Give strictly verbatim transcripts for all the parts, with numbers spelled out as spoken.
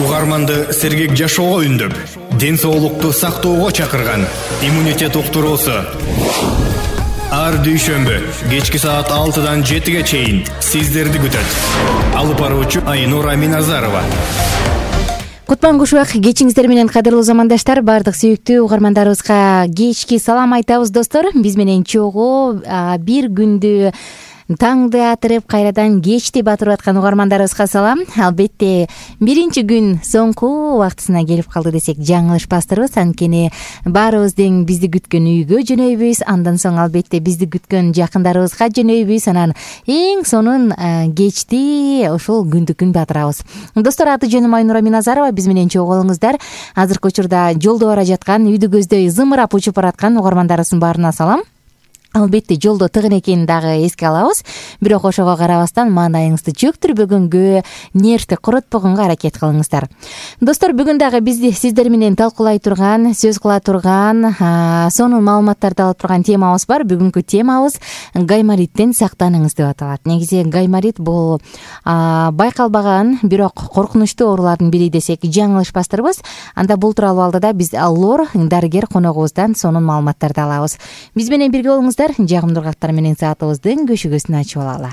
Угарманды сергек жашоого үндөп, ден соолукту сактоого чакырган иммунитет уктуруусу. Ар дүйшөмбү кечки саат алтыдан жетиге чейин сиздерди күтөт. Алып баруучу Айнура Миназарова. Кутман кушубак, кечиңиздер менен кадырлуу замандаштар, бардык сүйүктүү угармандарыбызга кечки салам айтабыз достор. Биз менен чогуу бир күндү таңды атырып, кайрадан кечти батырып аткан угармандарыбызга салам. Албетте, биринчи күн соңку убактысына келип калды десек жаңылышпастырбыз. Анткени баарыбыздын бизди күткөн үйгө жөнөйбүз, андан соң албетте бизди күткөн жакындарыбызга жөнөйбүз, анан эң сонун кечти ошол күндү күн батырабыз. Достор, аты жөнүм Айнура Миназарова, биз менен чогуу болуңуздар. Азыркы учурда жолдо бара жаткан, үйдү көздөй зымырап учуп бараткан угармандарыбыздын баарына салам. Албетте, жолдо тыгын экенин дагы эске алабыз. Бирок ошого карабастан маанайыңызды чөктүрбөгөнгө, нервти коротпогонго аракет кылыңыздар. Достор, бүгүн дагы бизди сиздер менен талкуулай турган, сөз кыла турган, сонун маалыматтарды алып турган темабыз бар. Бүгүнкү темабыз гаймориттен сактаныңыз деп аталат. Негизи гайморит бул байкалбаган, бирок коркунучтуу оорулардын бири десек жаңылышпастырбыз. Анда бул тууралуу алдыда биз лор дарыгер коногубуздан сонун маалыматтарды алабыз. Биз менен бирге болуңуздар. Жагымдуу каттар менен саатыбыздын көшүгөсүн ачып алалы.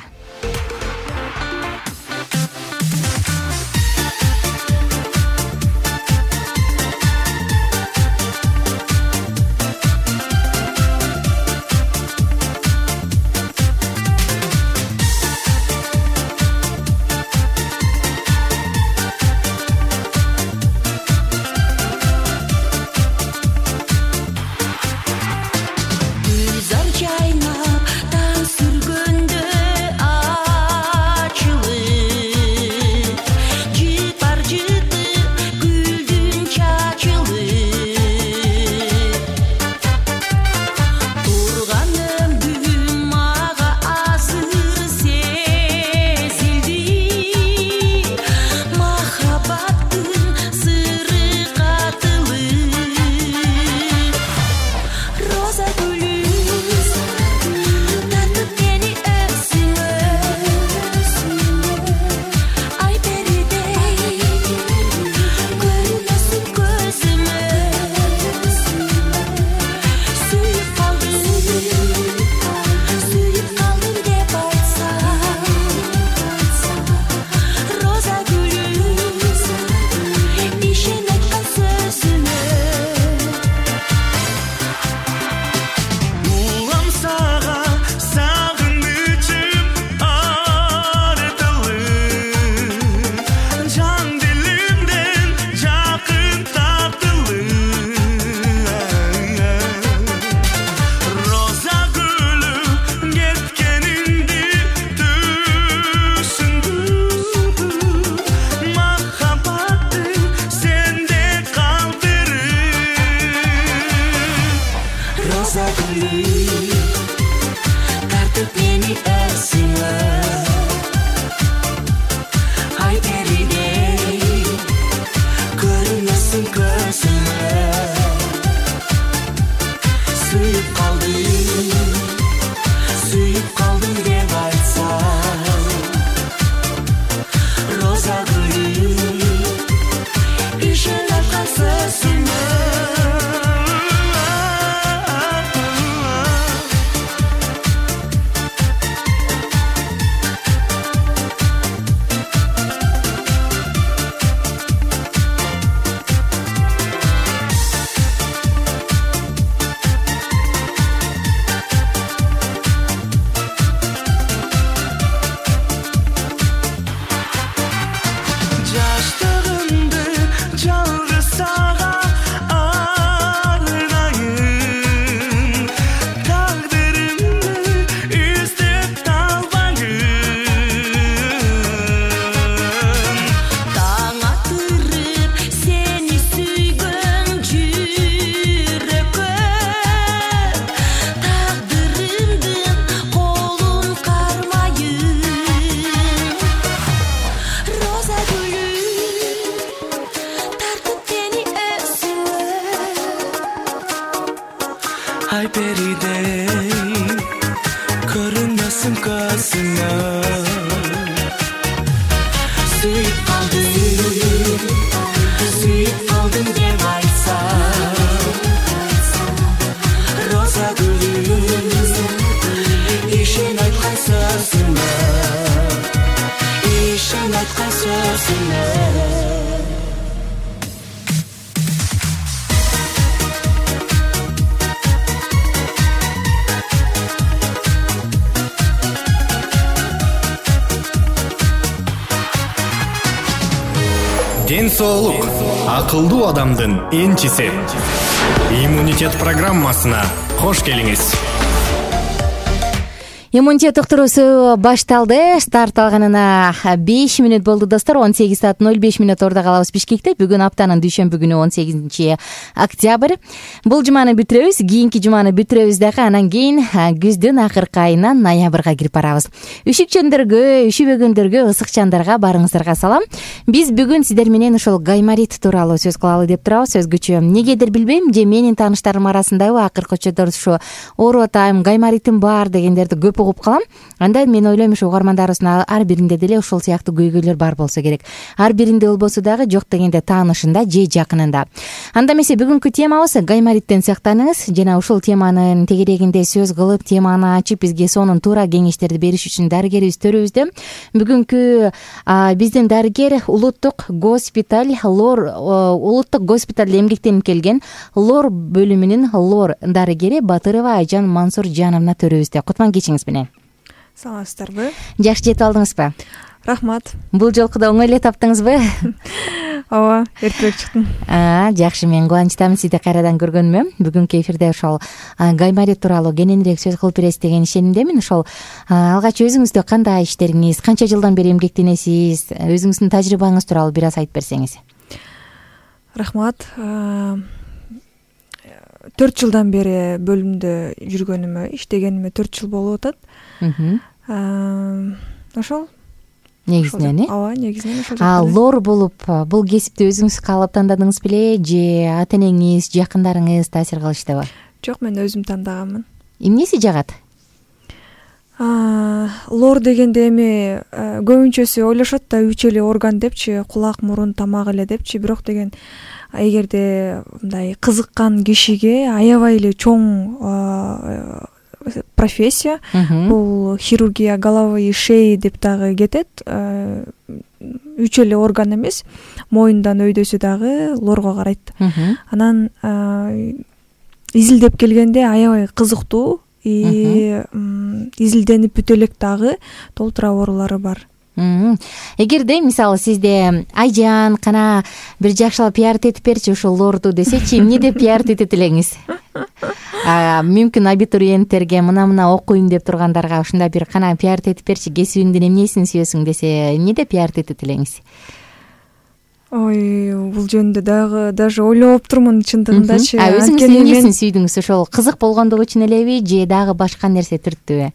Ayperide görünmesin gözüme, suyup kaldım. Ден соолук акылдуу адамдын энчиси. Иммунитет программасына кош келиңиз. Иммунитет уктуруусу башталды. Старт алганына беш мүнөт болду достор. он сегиз саат ноль беш мүнөт ордо калабыз Бишкекте. Бүгүн аптанын дүйшөмбү күнү он сегизинчи октябрь. Бул жуманы бүтүрөбүз, кийинки жуманы бүтүрөбүз дагы. Анан кийин күздүн акыркы айынан ноябрга кирип барабыз. Үшүкчөндөргө, üşүбөгөндөргө, ысыкчандарга барыңыздарга салам. Биз бүгүн сиздер менен ошол гайморит тууралуу сөз кылалы деп турабыз. Өзгөчө эмнегедир билбейм, же менин тааныштарым арасындабы акыркы учурда ушу ооруп атайм, гайморитим бар дегендерди көп угуп калам. Анда мен ойлойм, ушу угармандарыбыздын ар биринде деле ошол сыяктуу көйгөйлөр бар болсо керек. Ар биринде болбосо дагы жок дегенде таанышында же жакынында. Анда эмесе бүгүнкү темабыз гаймориттен сактаныңыз. Жана ушул теманын тегерегинде сөз кылып, теманы ачып, бизге сонун туура кеңештерди бериш үчүн дарыгерибиз төрүбүздө. Бүгүнкү биздин дарыгер улуттук госпиталь лор улуттук госпиталда эмгектенип келген лор бөлүмүнүн лор дарыгери Батырова Айжан Мансуржановна төрүбүздө. Кутман кечиңиз менен. Саламатсыздарбы? Жакшы жетип алдыңызбы? Рахмат. Бул жолку да оңой эле таптыңызбы? Ооба, эртерээк чыктым. А, жакшы, мен кубанычтамын сизди кайрадан көргөнүмө. Бүгүнкү эфирде ошол гайморит тууралуу кененирээк сөз кылып бересиз деген ишенимдемин. Ошол алгач өзүңүздө кандай иштериңиз, канча жылдан бери эмгектенесиз, өзүңүздүн тажрыйбаңыз тууралуу бир аз айтып берсеңиз. Рахмат. төрт жылдан бери бөлүмдө жүргөнүмө, иштегениме төрт жыл болуп атат. Ошол негизинен, э? Ооба, негизинен ошол. А лор болуп, бул кесипти өзүңүз каалап тандадыңыз беле, же ата-энеңиз, жакындарыңыз таасир кылыштыбы? Жок, мен өзүм тандагамын. Эмнеси жагат? Лор дегенде эми көбүнчөсү ойлошот да үч эле орган депчи, кулак, мурун, тамак эле депчи, бирок деген эгерде мындай кызыккан кишиге аябай эле чоң профессия. Бул хирургия головы и шеи деп дагы кетет. Үч эле орган эмес, моюндан өйдөсү дагы лорго карайт. Анан изилдеп келгенде аябай кызыктуу, и изилденип бүтө элек дагы толтура оорулары бар. Эгерде мисалы сизде Айжан кана бир жакшылап пиарт этип берчи ушул лорду десечи, эмне деп пиарт этет элеңиз? Мүмкүн абитуриенттерге, мына-мына окуйм деп тургандарга ушундай бир кана пиарт этип берчи, кесибиңдин эмнесин сүйөсүң десе, эмне деп пиарт этет элеңиз? Ой, бул жөнүндө дагы даже ойлоп турмун чындыгындачы. А өзүңүз эмнесин сүйдүңүз? Ошол кызык болгондугу үчүн элеби, же дагы башка нерсе түрттүбү?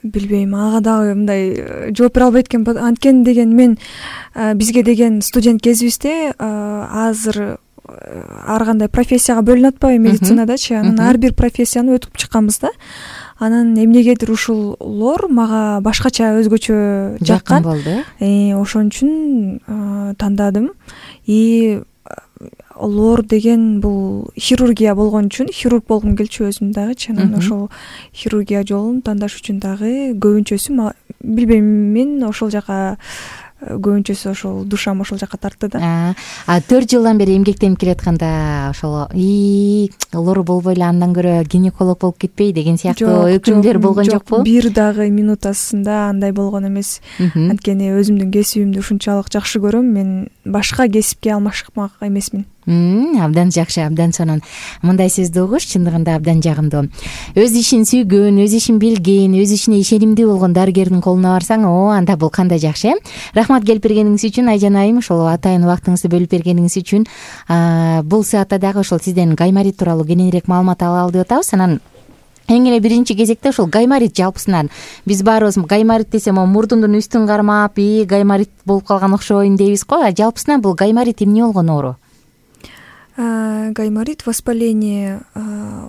Билбейм, ага дагы мындай жооп бере албайт экенмин. Анткени деген мен бизге деген студент кезибизде азыр ар кандай профессияга бөлүнүп атпайбы медицинадачы. Анан ар бир профессияны өтүп чыкканбыз да. Анан эмнегедир ушул лор мага башкача өзгөчө жаккан болду. Ошон үчүн тандадым. И лор деген бул хирургия болгон үчүн хирург болгум келчү өзүм дагычы. Анан ошол хирургия жолун тандаш үчүн дагы көбүнчөсү билбейм, мен ошол жака көбүнчөсү ошол душам ошол жака тартты да. А төрт жылдан бери эмгектенип келатканда ошол и лор болбой эле андан көрө гинеколог болуп кетпей деген сыяктуу өкүмдөр болгон жокпу? Бир дагы минутасында андай болгон эмес. Анткени өзүмдүн кесибимди ушунчалык жакшы көрөм, мен башка кесипке алмашмак эмесмин. Абдан жакшы, абдан сонун. Мындай сөздү угуш чындыгында абдан жагымдуу. Өз ишин сүйгөн, өз ишин билген, өз ишине ишенимдүү болгон дарыгердин колуна барсаң, о, анда бул кандай жакшы. Рахмат келип бергениңиз үчүн, Айжан айым, ошол атайын убактыңызды бөлүп бергениңиз үчүн. Бул саатта дагы ошол сизден гайморит тууралуу кененирээк маалымат алалы деп атабыз. Анан эң эле биринчи кезекте ошол гайморит жалпысынан биз баарыбыз гайморит десе могу мурдундун үстүн кармап, и гайморит болуп калган окшойм дейбиз го. А жалпысынан бул гайморит эмне болгон оору? Гайморит воспаление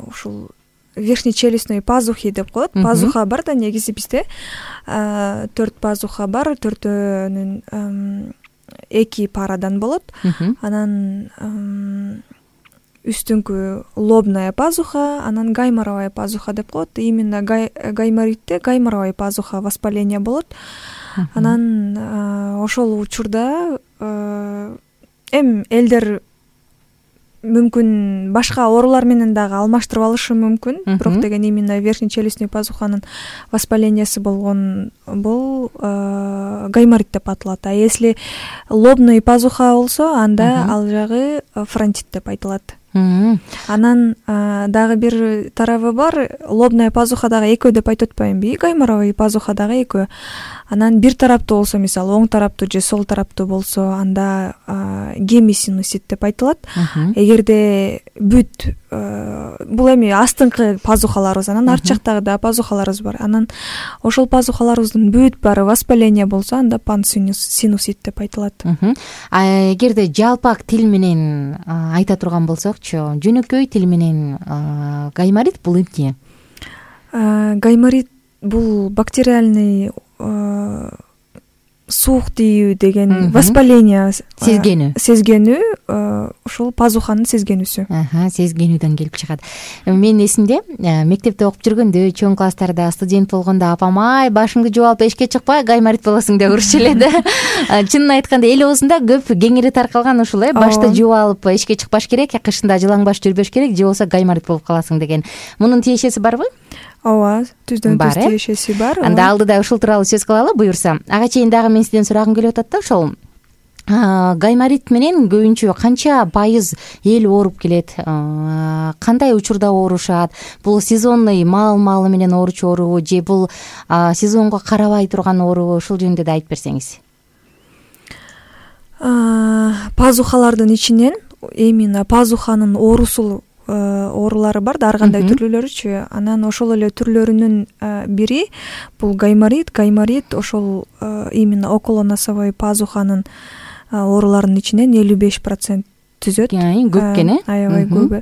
ушул верхнечелюстной пазухи деп коет. Пазуха бар да негизи бизде. Төрт пазуха бар, төртөөнүн эки парадан болот. Анан үстүңкү лобная пазуха, анан гайморовая пазуха деп коет. Именно гайморитте гайморовая пазуха воспаление болот. Анан ошол учурда эми элдер мүмкүн башка оорулар менен дагы алмаштырып алышы мүмкүн, бирок деген именно верхнечелюстный пазуханын воспалениеси болгон бул гайморит деп аталат. А если лобный пазуха болсо, анда ал жагы фронтит деп айтылат. Анан дагы бир тарабы бар. Лобная пазуха дагы экөө деп айтып атпаймынбы? Гайморовый пазуха дагы экөө. Анан бир тараптуу болсо, мисалы оң тараптуу же сол тараптуу болсо, анда гемисинусит деп айтылат. Эгерде бүт бул эми астыңкы пазухаларыбыз, анан арт жактагы да пазухаларыбыз бар. Анан ошол пазухаларыбыздын бүт баары воспаление болсо, анда пансинусит деп айтылат. А эгерде жалпак тил менен айта турган болсокчу, жөнөкөй тил менен гайморит бул эмне? Гайморит бул бактериальный суук тийүү деген воспаление сезгенүү сезгенүү ушул пазуханын сезгенүүсү. Сезгенүүдөн келип чыгат. Мен эсимде мектепте окуп жүргөндө, чоң класстарда студент болгондо апам ай башыңды жууп алып эшикке чыкпай гайморит болосуң деп урушчу эле да. Чынын айтканда эл оозунда көп кеңири таркалган ушул э, башты жууп алып эшикке чыкпаш керек, кышында жылаң баш жүрбөш керек, же болбосо гайморит болуп каласың деген. Мунун тиешеси барбы? Ооба, түздөн түз тиешеси бар. Анда алдыда ушул тууралуу сөз кылалы буюрса. Ага чейин дагы мен сизден сурагым келип атат да, ошол гайморит менен көбүнчө канча пайыз эл ооруп келет, кандай учурда оорушат? Бул сезонный маал-маалы менен ооручу оорубу же бул сезонго карабай турган оорубу? Ушул жөнүндө да айтып берсеңиз. Пазухалардын ичинен именно пазуханын оорусул оорулары бар да, ар кандай түрлөрүчү. Анан ошол эле түрлөрүнүн бири бул гайморит. Гайморит ошол именно околоносовой пазуханын ооруларынын ичинен элүү беш процент түзөт. Көп экен, э? Аябай көп.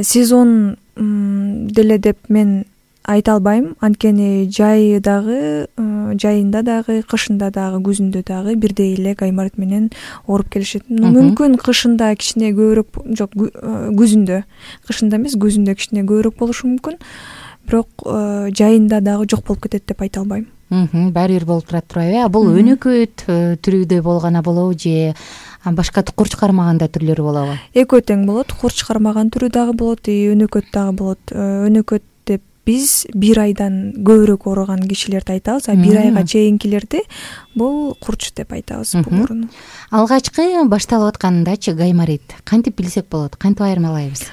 Сезон деле деп мен айта албайм, анткени жайы дагы, жайында дагы, кышында дагы, күзүндө дагы бирдей эле гайморит менен ооруп келишет. Мүмкүн кышында кичине көбүрөөк, жок, күзүндө, кышында эмес, күзүндө кичине көбүрөөк болушу мүмкүн, бирок жайында дагы жок болуп кетет деп айта албайм. Баары бир болуп турат турбайбы? Бул өнөкөт түрүдө болгон болобу же башка курч кармаганда түрлөрү болобу? Экөө тең болот. Курч кармаган түрү дагы болот, өнөкөт дагы болот. Өнөкөт деп биз бир айдан көбүрөөк ооруган кишилерди айтабыз, а бир айга чейинкилерди бул курч деп айтабыз бул ооруну. Алгачкы башталып аткандачы гайморит кантип билсек болот? Кантип айырмалайбыз?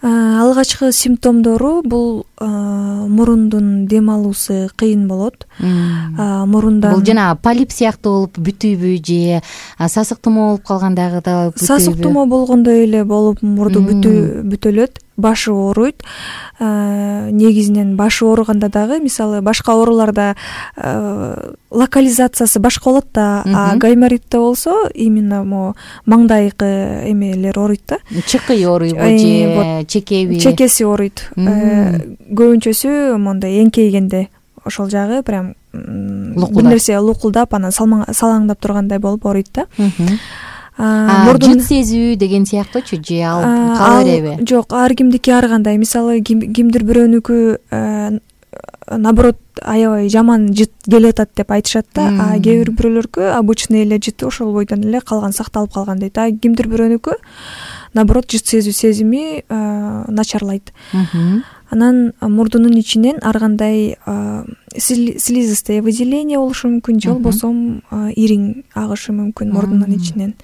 Алгачкы симптомдору бул мурундун дем алуусу кыйын болот. Мурундан бул жана полип сыяктуу болуп бүтүүбү же сасык тумоо болуп калгандагы да бүтүүбү? Сасык тумоо болгондой эле болуп мурду бүтөлөт, башы ооруйт. Негизинен башы ооруганда дагы, мисалы башка ооруларда локализациясы башка болот да, а гайморитте болсо именно мо маңдайкы эмелер ооруйт да. Чыкый ооруйбу же чекеби? Чекеси ооруйт. Көбүнчөсү мондай эңкейгенде ошол жагы прям бир нерсе лукулдап, анан салаңдап тургандай болуп ооруйт да. Жыт сезүү деген сыяктуучу же ал кала береби? Жок, ар кимдики ар кандай. Мисалы кимдир бирөөнүкү наоборот аябай жаман жыт келип атат деп айтышат да, а кээ бир бирөөлөргө обычный эле жыты ошол бойдон эле калган, сакталып калган дейт. А кимдир бирөөнүкү наоборот жыт сезүү сезими начарлайт. Анан мурдунун ичинен ар кандай слизистое выделение болушу мүмкүн, же болбосо ириң агышы мүмкүн мурдунун ичинен.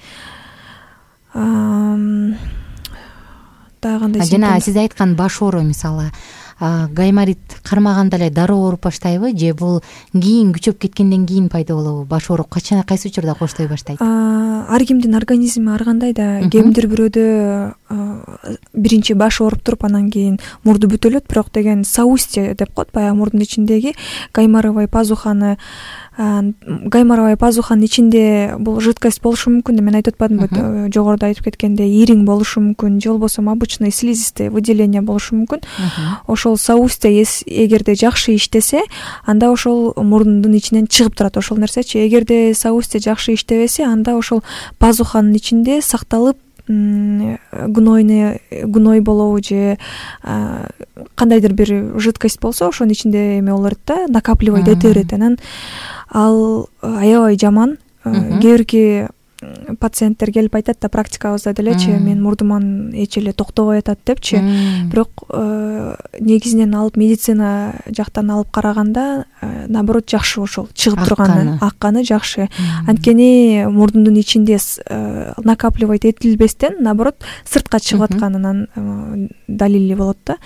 Дагы кандай? Жана сиз айткан баш оору, мисалы гайморит кармаганда эле дароо ооруп баштайбы же бул кийин күчөп кеткенден кийин пайда болобу? Баш ооруп качан, кайсы учурда коштой баштайт? Ар кимдин организми ар кандай да. Кимдир бирөөдө биринчи баш ооруп туруп анан кийин мурду бүтөлөт, бирок деген соустье деп коет, баягы мурдун ичиндеги гайморовый пазуханы гайморовый пазуханын ичинде бул жидкость болушу мүмкүн. Мен айтып атпадымбы, жогоруда айтып кеткендей, ириң болушу мүмкүн, же болбосо обычный слизистое выделение болушу мүмкүн. Ошол соустье эгерде жакшы иштесе, анда ошол мурдун ичинен чыгып турат ошол нерсечи. Эгерде соустье жакшы иштебесе, анда ошол пазуханын ичинде сакталып гнойный гной болобу же кандайдыр бир жидкость болсо ошонун ичинде эме болот да, накапливать эте берет. Анан ал аябай жаман. Кээ бирки пациенттер келип айтат да, практикабызда делечи, мен мурдуман эч эле токтобой атат депчи. Бирок негизинен алып медицина жактан алып караганда наоборот жакшы, ошол чыгып турганы, акканы жакшы. Анткени мурдундун ичинде накапливать этилбестен наоборот сыртка чыгып атканынан далили болот да.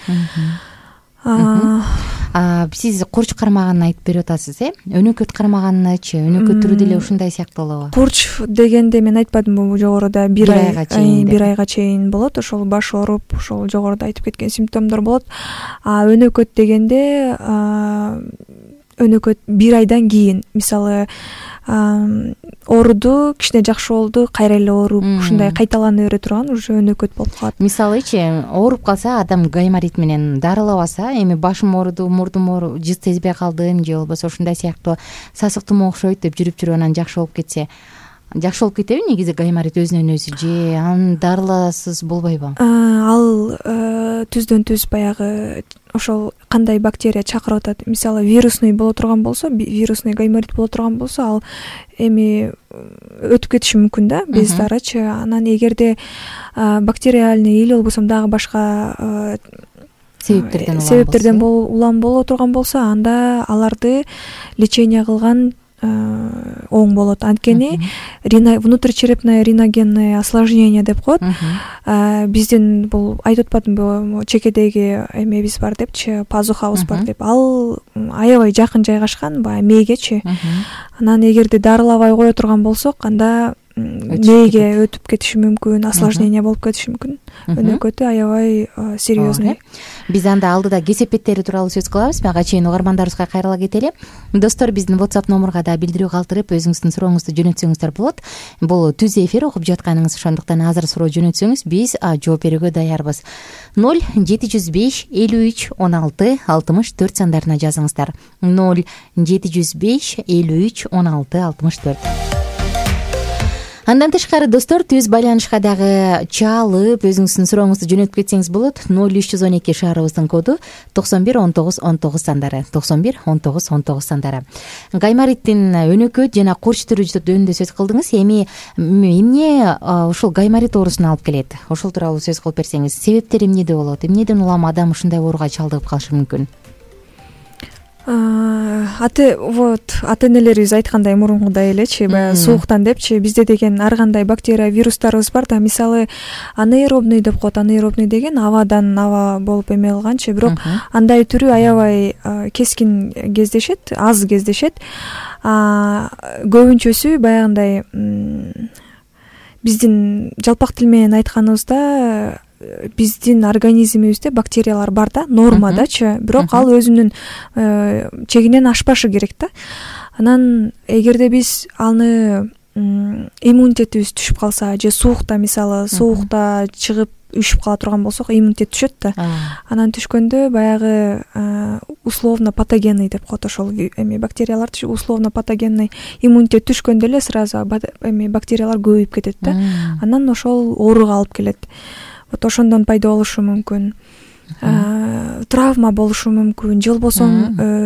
Сиз курч кармаганын айтып берип атасыз, э? Өнөкөт кармаганычы, өнөкөт түрү деле ушундай сыяктуу болобу? Курч дегенде мен айтпадымбы жогоруда бир ай бир айга чейин болот, ошол баш ооруп, ошол жогоруда айтып кеткен симптомдор болот. А өнөкөт дегенде өнөкөт бир айдан кийин, мисалы ооруду, кичине жакшы болду, кайра эле ооруп, ушундай кайталана бере турган уже өнөкөт болуп калат. Мисалычы, ооруп калса, адам гайморит менен дарылабаса, эми башым ооруду, мурдум ооруп, жыз сезбей калдым же болбосо ушундай сыяктуу сасык тумоо окшойт деп жүрүп жүрүп анан жакшы болуп кетсе, жакшы болуп кетеби негизи гайморит өзүнөн өзү, же аны дарыласыз болбойбу? Ал түздөн түз баягы ошол кандай бактерия чакырып атат. Мисалы вирусный боло турган болсо, вирусный гайморит боло турган болсо, ал эми өтүп кетиши мүмкүн да, без дарычы. Анан эгерде бактериальный или болбосо дагы башка себептерден себептерден улам боло турган болсо, анда аларды лечение кылган оң болот. Анткени внутричерепное риногенное осложнение деп коет. Биздин бул айтып атпадымбы, чекедеги эмебиз бар депчи, пазухабыз бар деп. Ал аябай жакын жайгашкан баягы мээгечи. Анан эгерде дарылабай кое турган болсок, анда мээге өтүп кетиши мүмкүн, осложнение болуп кетиши мүмкүн. Өнөкөтү аябай серьезный. Биз анда алдыда кесепеттери тууралуу сөз кылабыз. Мага чейин угармандарыбызга кайрыла кетели. Достор, биздин WhatsApp номурга да билдирүү калтырып, өзүңүздүн сурооңузду жөнөтсөңүздөр болот. Бул түз эфир окуп жатканыңыз, ошондуктан азыр суроо жөнөтсөңүз биз жооп берүүгө даярбыз. ноль жети жүз беш элүү үч он алты алтымыш төрт сандарына жазыңыздар. ноль жети жүз беш элүү үч он алты алтымыш төрт. Андан тышкары достор, түз байланышка дагы чалып, өзүңүздүн сурооңузду жөнөтүп кетсеңиз болот. ноль үч жүз он эки шаарыбыздын коду, токсон бир он тогуз он тогуз сандары, токсон бир он тогуз он тогуз сандары. Гаймориттин өнөкөт жана курч түрү жөнүндө сөз кылдыңыз. Эми эмне ушул гайморит оорусуна алып келет? Ошол тууралуу сөз кылып берсеңиз, себептери эмнеде болот? Эмнеден улам адам ушундай ооруга чалдыгып калышы мүмкүн? Аты вот ата энелерибиз айткандай мурункудай элечи, баягы сууктан депчи, бизде деген ар кандай бактерия, вирустарыбыз бар да. Мисалы анаэробный деп коет. Анаэробный деген абадан аба болуп эме кылганчы, бирок андай түрү аябай кескин кездешет, аз кездешет. Көбүнчөсү баягындай биздин жалпак тил менен айтканыбызда биздин организмибизде бактериялар бар да, нормадачы, бирок ал өзүнүн чегинен ашпашы керек да. Анан эгерде биз аны иммунитетибиз түшүп калса, же суукта, мисалы суукта чыгып үшүп кала турган болсок, иммунитет түшөт да. Анан түшкөндө баягы условно патогенный деп коет, ошол эми бактериялар условно патогенный, иммунитет түшкөндө эле сразу эми бактериялар көбөйүп кетет да. Анан ошол ооруга алып келет. Вот ошондон пайда болушу мүмкүн. Травма болушу мүмкүн, же болбосо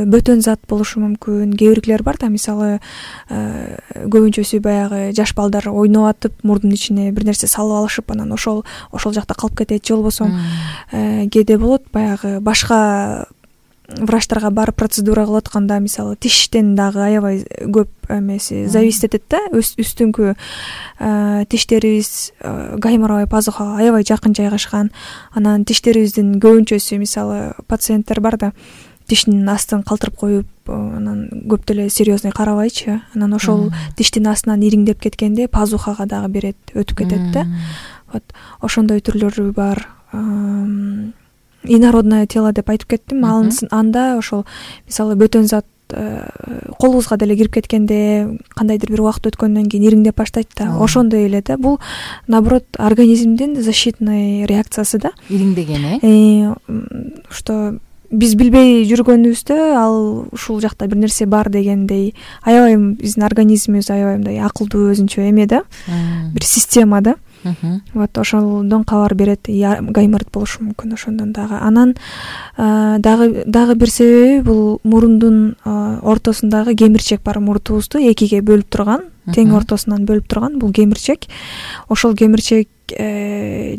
бөтөн зат болушу мүмкүн. Кээ биркилер бар да, мисалы көбүнчөсү баягы жаш балдар ойноп атып, мурдун ичине бир нерсе салып алышып, анан ошол ошол жакта калып кетет. Же болбосо кээде болот баягы башка врачтарга барып процедура кылып атканда, мисалы тиштен дагы аябай көп эмеси зависит этет да. Үстүңкү тиштерибиз гайморовый пазухага аябай жакын жайгашкан. Анан тиштерибиздин көбүнчөсү, мисалы пациенттер бар да, тиштин астын калтырып коюп, анан көп деле серьезный карабайчы. Анан ошол тиштин астынан ириңдеп кеткенде пазухага дагы берет, өтүп кетет да. Вот ошондой түрлөрү бар. Инородное тело деп айтып кеттим. Анда ошол мисалы бөтөн зат колубузга деле кирип кеткенде, кандайдыр бир убакыт өткөндөн кийин ириңдеп баштайт да. Ошондой эле да. Бул наоборот организмдин защитный реакциясы да. Ириңдеген, э? Что биз билбей жүргөнүбүздө ал ушул жакта бир нерсе бар дегендей, аябай биздин организмибиз аябай мындай акылдуу өзүнчө эме да. Бир система да. вот ошолдон кабар берет, гайморит болушу мүмкүн ошондон дагы. Анан дагы дагы бир себеби бул мурундун ортосундагы кемирчек бар, мурдубузду экиге бөлүп турган, тең ортосунан бөлүп турган бул кемирчек. Ошол кемирчек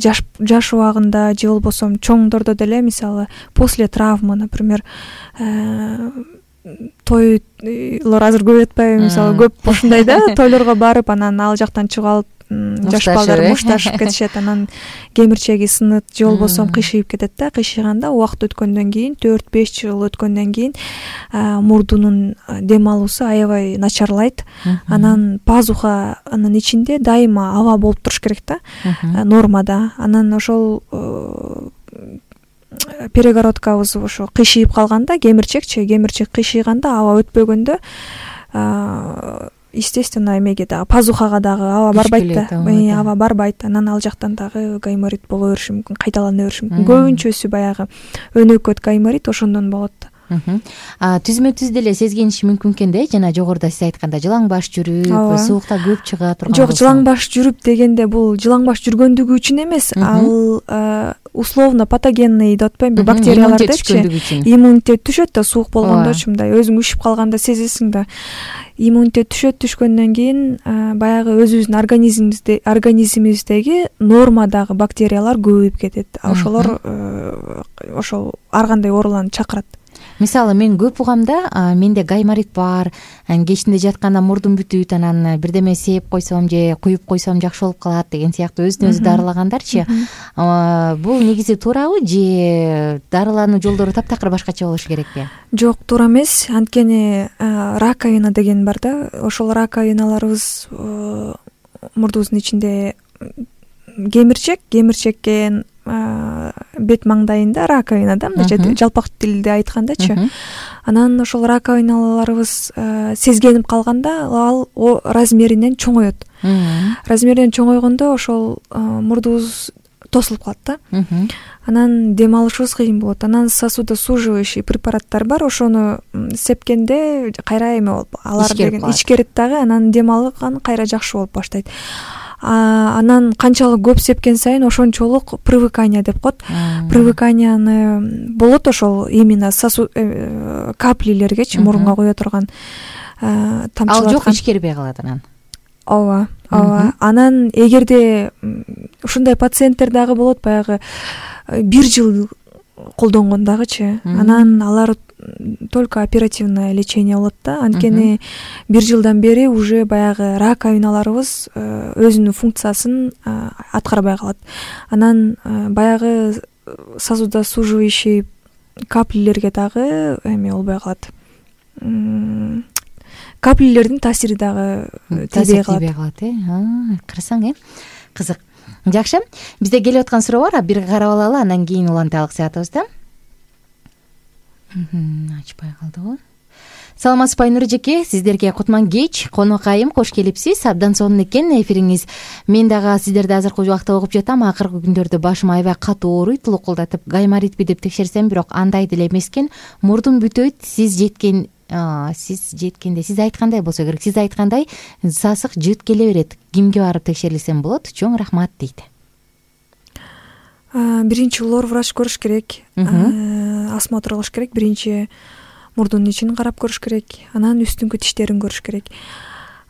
жаш жаш убагында же болбосо чоңдордо деле, мисалы после травмы, например, тойлор азыр көп атпайбы, мисалы көп ушундай да, тойлорго барып анан ал жактан чыгып алып жаш балдар мушташып кетишет, анан кемирчеги сынат же болбосо кыйшыйып кетет да. Кыйшыганда убакыт өткөндөн кийин, төрт беш жыл өткөндөн кийин мурдунун дем алуусу аябай начарлайт. Анан пазуханын ичинде дайыма аба болуп туруш керек да, нормада. Анан ошол перегородкабыз ошо кыйшыйып калганда, кемирчекчи кемирчек кыйшыйганда, аба өтпөгөндө естественно эмеге дагы, пазухага дагы аба барбайт да, аба барбайт. Анан ал жактан дагы гайморит боло бериши мүмкүн, кайталана бериши мүмкүн. Көбүнчөсү баягы өнөкөт гайморит ошондон болот. Түзмө түз деле сезгениши мүмкүн экен да, жана жогоруда сиз айтканда жылаң баш жүрүп, суукта көп чыга турган. Жок, жылаң баш жүрүп дегенде бул жылаң баш жүргөндүгү үчүн эмес, ал условно патогенный деп атпаймынбы, бактериялар депчи, иммунитет түшөт да, суук болгондочу, мындай өзүң үшүп калганда сезесиң да. Иммунитет түшөт, түшкөндөн кийин баягы өзүбүздүн организмибизде организмибиздеги нормадагы бактериялар көбөйүп кетет. Ошолор ошол ар кандай ооруларны чакырат. Мисалы мен көп угам да, менде гайморит бар, кечинде жатканда мурдум бүтүт, анан бирдеме сээп койсом же куюп койсом жакшы болуп калат деген сыяктуу өзүн өзү дарылагандарчы. Бул негизи туурабы же дарылануу жолдору таптакыр башкача болушу керекпи? Жок, туура эмес. Анткени раковина деген бар да, ошол раковиналарыбыз мурдубуздун ичинде кемирчек, кемирчекке бет маңдайында раковина да, мындайча жалпак тилде айткандачы. Анан ошол раковиналарыбыз сезгенип калганда ал размеринен чоңоет. Размеринен чоңойгондо ошол мурдубуз тосулуп калат да. Анан дем алышыбыз кыйын болот. Анан сосудосуживающий препараттар бар, ошону сепкенде кайра эме болуп, алар деген ичкерет дагы, анан дем алган кайра жакшы болуп баштайт. Анан канчалык көп сепкен сайын ошончолук привыкание деп коет. Привыканияны болот ошол именно сосуд каплилергечи, мурунга куя турган тамчылаткан. Ал жок, ичкербей калат анан. Ооба, ооба. Анан эгерде ушундай пациенттер дагы болот, баягы бир жыл колдонгон дагычы. Анан алар только оперативное лечение болот да. Анткени бир жылдан бери уже баягы раковиналарыбыз өзүнүн функциясын аткарбай калат. Анан баягы сосудосуживающий каплилерге дагы эме болбой калат. Каплилердин таасири дагы тийбей калат. Карасаң, э? Кызык. Жакшы. Бизде келип аткан суроо бар, бир карап алалы, андан кийин улантайлык саатыбызда. Ачпай калдыбы? Саламатсызбы Айнур эжеке, сиздерге кутман кеч, конокайым, кош келипсиз. Абдан сонун экен эфириңиз. Мен дагы сиздерди азыркы убакта угуп жатам. Акыркы күндөрдө башым аябай катуу ооруйт, лукулдатып, гайморитпи деп текшерсем, бирок андай деле эмес экен. Мурдум бүтөйт, сиз жеткен сиз жеткенде сиз айткандай болсо керек. Сиз айткандай сасык жыт келе берет. Кимге барып текшерилсем болот? Чоң рахмат дейт. Биринчи лор врач көрүш керек, осмотр кылыш керек. Биринчи мурдунун ичин карап көрүш керек, анан үстүңкү тиштерин көрүш керек.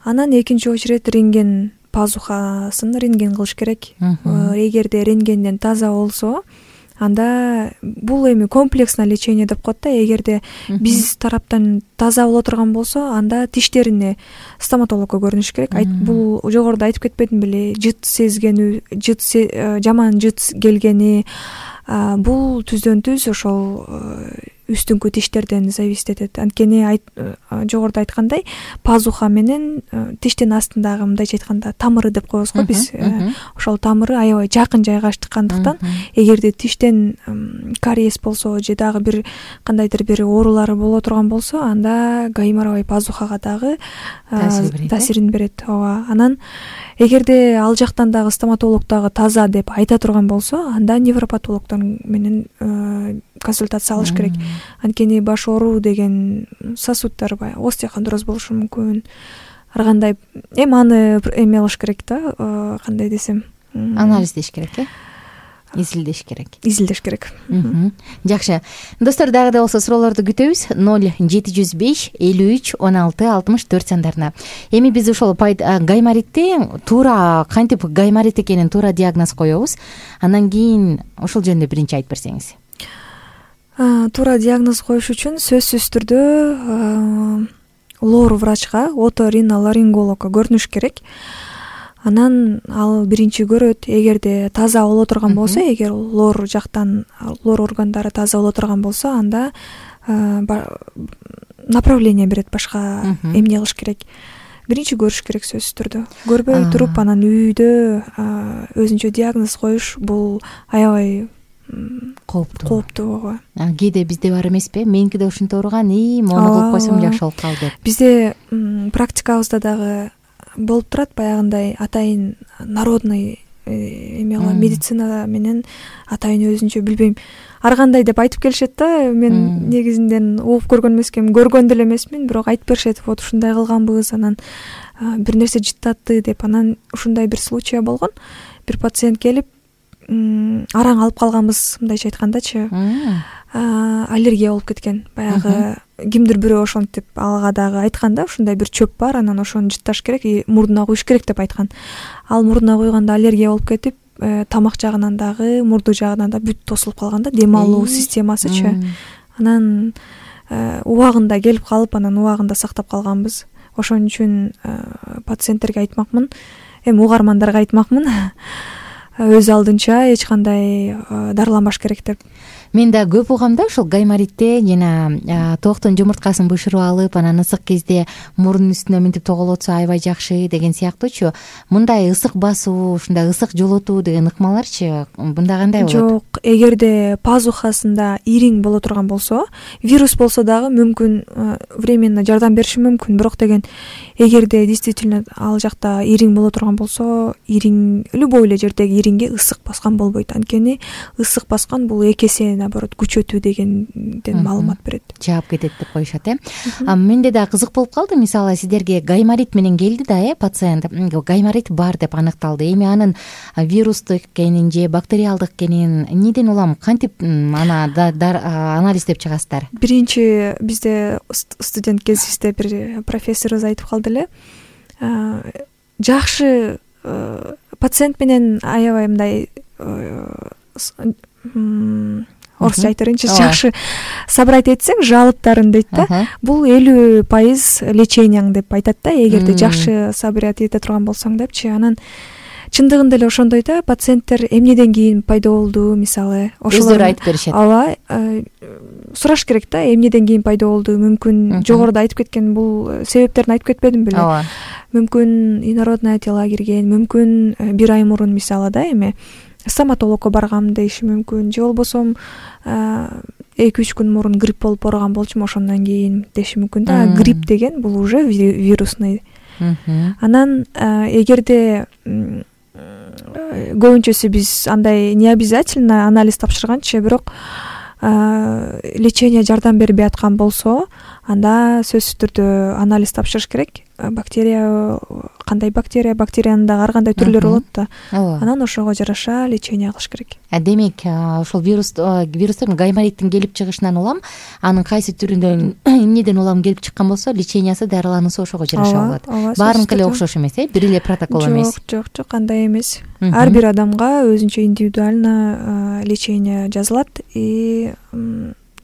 Анан экинчи очередь рентген, пазухасын рентген кылыш керек. Эгерде рентгенден таза болсо, анда бул эми комплексное лечение деп коет да. Эгерде биз тараптан таза боло турган болсо, анда тиштерине стоматологко көрүнүш керек. Бул жогоруда айтып кетпедим беле, жыт сезгени, жыт жаман жыт келгени, бул түздөн түз ошол үстүңкү тиштерден зависит этет. Анткени жогоруда айткандай, пазуха менен тиштин астындагы, мындайча айтканда, тамыры деп коебуз го биз. Ошол тамыры аябай жакын жайгашкандыктан, эгерде тиштен кариес болсо же дагы бир кандайдыр бир оорулары боло турган болсо, анда гайморовый пазухага дагы таасирин берет. Ооба. Анан эгерде ал жактан дагы стоматолог дагы таза деп айта турган болсо, анда невропатологдор менен консультация алыш керек. Анткени баш ооруу деген сосуддар баягы остеохондроз болушу мүмкүн. Ар кандай эми аны эме кылыш керек да, кандай десем, анализдеш керек э изилдеш керек изилдеш керек. Жакшы достор, дагы да болсо суроолорду күтөбүз. Ноль жети жүз беш элүү үч он алты алтымыш төрт сандарына. Эми биз ошол гайморитти туура кантип гайморит экенин туура диагноз коебуз. Андан кийин ошол жөнүндө биринчи айтып берсеңиз. Туура диагноз коюш үчүн сөзсүз түрдө лор врачка, оториноларингологко көрүнүш керек. Анан ал биринчи көрөт. Эгерде таза боло турган болсо, эгер лор жактан лор органдары таза боло турган болсо, анда направление берет башка эмне кылыш керек. Биринчи көрүш керек сөзсүз түрдө. Көрбөй туруп анан үйдө өзүнчө диагноз коюш бул аябай кооптуу. Кооптуу. Кээде бизде бар эмеспи? Меники да ушинтип ооруган, и мону кылып койсом жакшы болуп калды деп. Бизде практикабызда дагы болуп турат баягындай атайын народный эме кылам, медицина менен атайын өзүнчө билбейм ар кандай деп айтып келишет да. Мен негизинен угуп көргөн эмесмин, көргөн деле эмесмин, бирок айтып беришет, вот ушундай кылганбыз, анан бир нерсе жыттатты деп. Анан ушундай бир случай болгон. Бир пациент келип араң алып калганбыз, мындайча айткандачы, аллергия болуп кеткен. Баягы кимдир бирөө ошентип ага дагы айткан да, ушундай бир чөп бар, анан ошону жытташ керек, мурдуна куюш керек деп айткан. Ал мурдуна куйганда аллергия болуп кетип, тамак жагынан дагы, мурду жагынан да бүт тосулуп калган да, дем алуу системасычы. Анан убагында келип калып, анан убагында сактап калганбыз. Ошон үчүн пациенттерге айтмакмын, эми угармандарга айтмакмын, өз алдынча эч кандай дарыланбаш керек деп. Мен да көп угам да ушул гайморитте жана тооктун жумурткасын бышырып алып, анан ысык кезде мурдун үстүнө мынтип тоголотсо аябай жакшы деген сыяктуучу. Мындай ысык басуу, ушундай ысык жолотуу деген ыкмаларчы мында кандай болот? Жок, эгерде пазухасында ириң боло турган болсо, вирус болсо дагы мүмкүн временно жардам бериши мүмкүн, бирок деген эгерде действительно ал жакта ириң боло турган болсо, ириң любой эле жердеги ириңге ысык баскан болбойт. Анткени ысык баскан бул эки эсе наоборот күчөтүү дегенден маалымат берет. Жаап кетет деп коюшат э. Менде да кызык болуп калды. Мисалы сиздерге гайморит менен келди да э пациент, гайморит бар деп аныкталды. Эми анын вирустук экенин же бактериалдык экенин эмнеден улам, кантип аны анализдеп чыгасыздар? Биринчи бизде студент кезибизде бир профессорубуз айтып калды эле. Жакшы пациент менен аябай мындай орусча айтып берейинчи, жакшы собрать этсең жалоптарын дейт да, бул элүү пайыз леченияң деп айтат да, эгерде жакшы собрать эте турган болсоң депчи. Анан чындыгында эле ошондой да, пациенттер эмнеден кийин пайда болду, мисалы өздөрү айтып беришет. Ооба, сураш керек да, эмнеден кийин пайда болду, мүмкүн жогоруда айтып кеткен бул себептерин айтып кетпедим беле. Ооба. Мүмкүн инородная тела кирген, мүмкүн бир ай мурун мисалы да эме стоматологко баргам дейиши мүмкүн, же болбосо эки үч күн мурун грипп болуп ооруган болчумун, ошондон кийин деши мүмкүн да. Грипп деген бул уже вирусный. Анан эгерде көбүнчөсү биз андай не обязательно анализ тапшырганчы, бирок лечение жардам бербей аткан болсо, анда сөзсүз түрдө анализ тапшырыш керек. Бактерия кандай бактерия, бактериянын дагы ар кандай түрлөрү болот да. Анан ошого жараша лечение кылыш керек. Демек, ошол вирус вирустун гаймориттин келип чыгышынан улам, анын кайсы түрүнөн эмнеден улам келип чыккан болсо, лечениясы, дарылануусу ошого жараша болот. Баарыныкы эле окшош эмес э, бир эле протокол эмес. Жок, жок, жок, андай эмес. Ар бир адамга өзүнчө индивидуально лечение жазылат и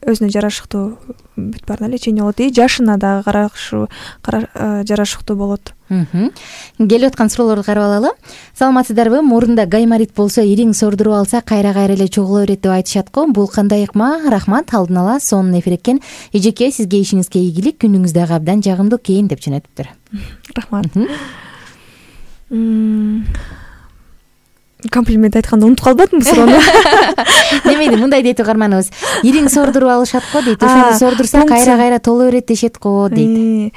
өзүнө жарашыктуу бүт баарына лечение болот, и жашына дагы карашу жарашыктуу болот. Келип аткан суроолорду карап алалы. Саламатсыздарбы? Мурунда гайморит болсо, ириң сордуруп алса, кайра-кайра эле чогула берет деп айтышат го. Бул кандай ыкма? Рахмат, алдын ала сонун эфир экен. Эжеке, сизге ишиңизге ийгилик, күнүңүз дагы абдан жагымдуу экен деп жөнөтүптүр. Рахмат. Комплимент айтканда унутуп калбадымбы суроону? Немеди, мындай дейт угарманыбыз. Ириң сордуруп алышат го дейт. Ошону сордурса кайра-кайра толо берет дешет го дейт.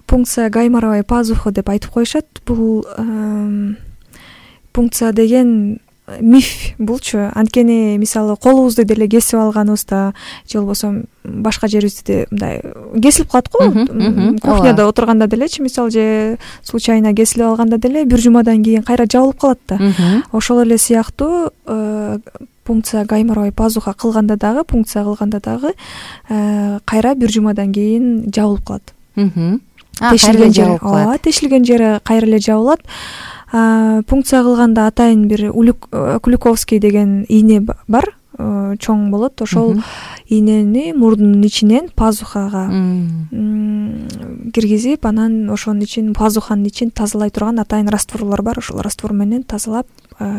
Пункция гайморовой пазухи деп айтып коюшат. Бул пункция деген миф булчу. Анткени мисалы колубузду деле кесип алганыбызда же болбосо башка жерибизде мындай кесилип калат го, кухняда отурганда делечи, мисалы же случайно кесилип алганда деле бир жумадан кийин кайра жабылып калат да. Ошол эле сыяктуу пункция гайморовый пазуха кылганда дагы, пункция кылганда дагы кайра бир жумадан кийин жабылып калат. Тешилген жери, ооба, тешилген жери кайра эле жабылат. Пункция кылганда атайын бир Куликовский деген ийне бар, чоң болот. Ошол ийнени мурдунун ичинен пазухага киргизип, анан ошонун ичин, пазуханын ичин тазалай турган атайын растворлор бар. Ошол раствор менен тазалап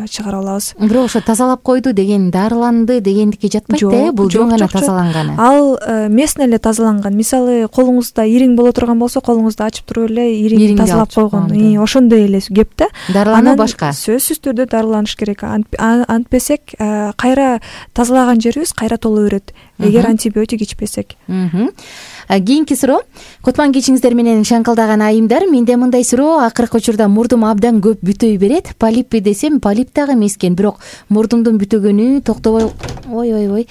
чыгара алабыз. Бирок ошо тазалап койду деген, дарыланды дегендикке жатпайт да, бул жөн гана тазаланганы. Ал местно эле тазаланган. Мисалы колуңузда ириң боло турган болсо, колуңузду ачып туруп эле ириң тазалап койгон. Ошондой эле кеп да. Дарылануу башка. Сөзсүз түрдө дарыланыш керек. Антпесек кайра тазалаган жерибиз кайра толо берет, эгер антибиотик ичпесек. Кийинки суроо. Кутман кечиңиздер менен шаңкылдаган айымдар, менде мындай суроо: акыркы учурда мурдум абдан көп бүтөй берет. Полиппи десем, полип дагы эмес экен, бирок мурдумдун бүтөгөнү токтобой ой ой ой.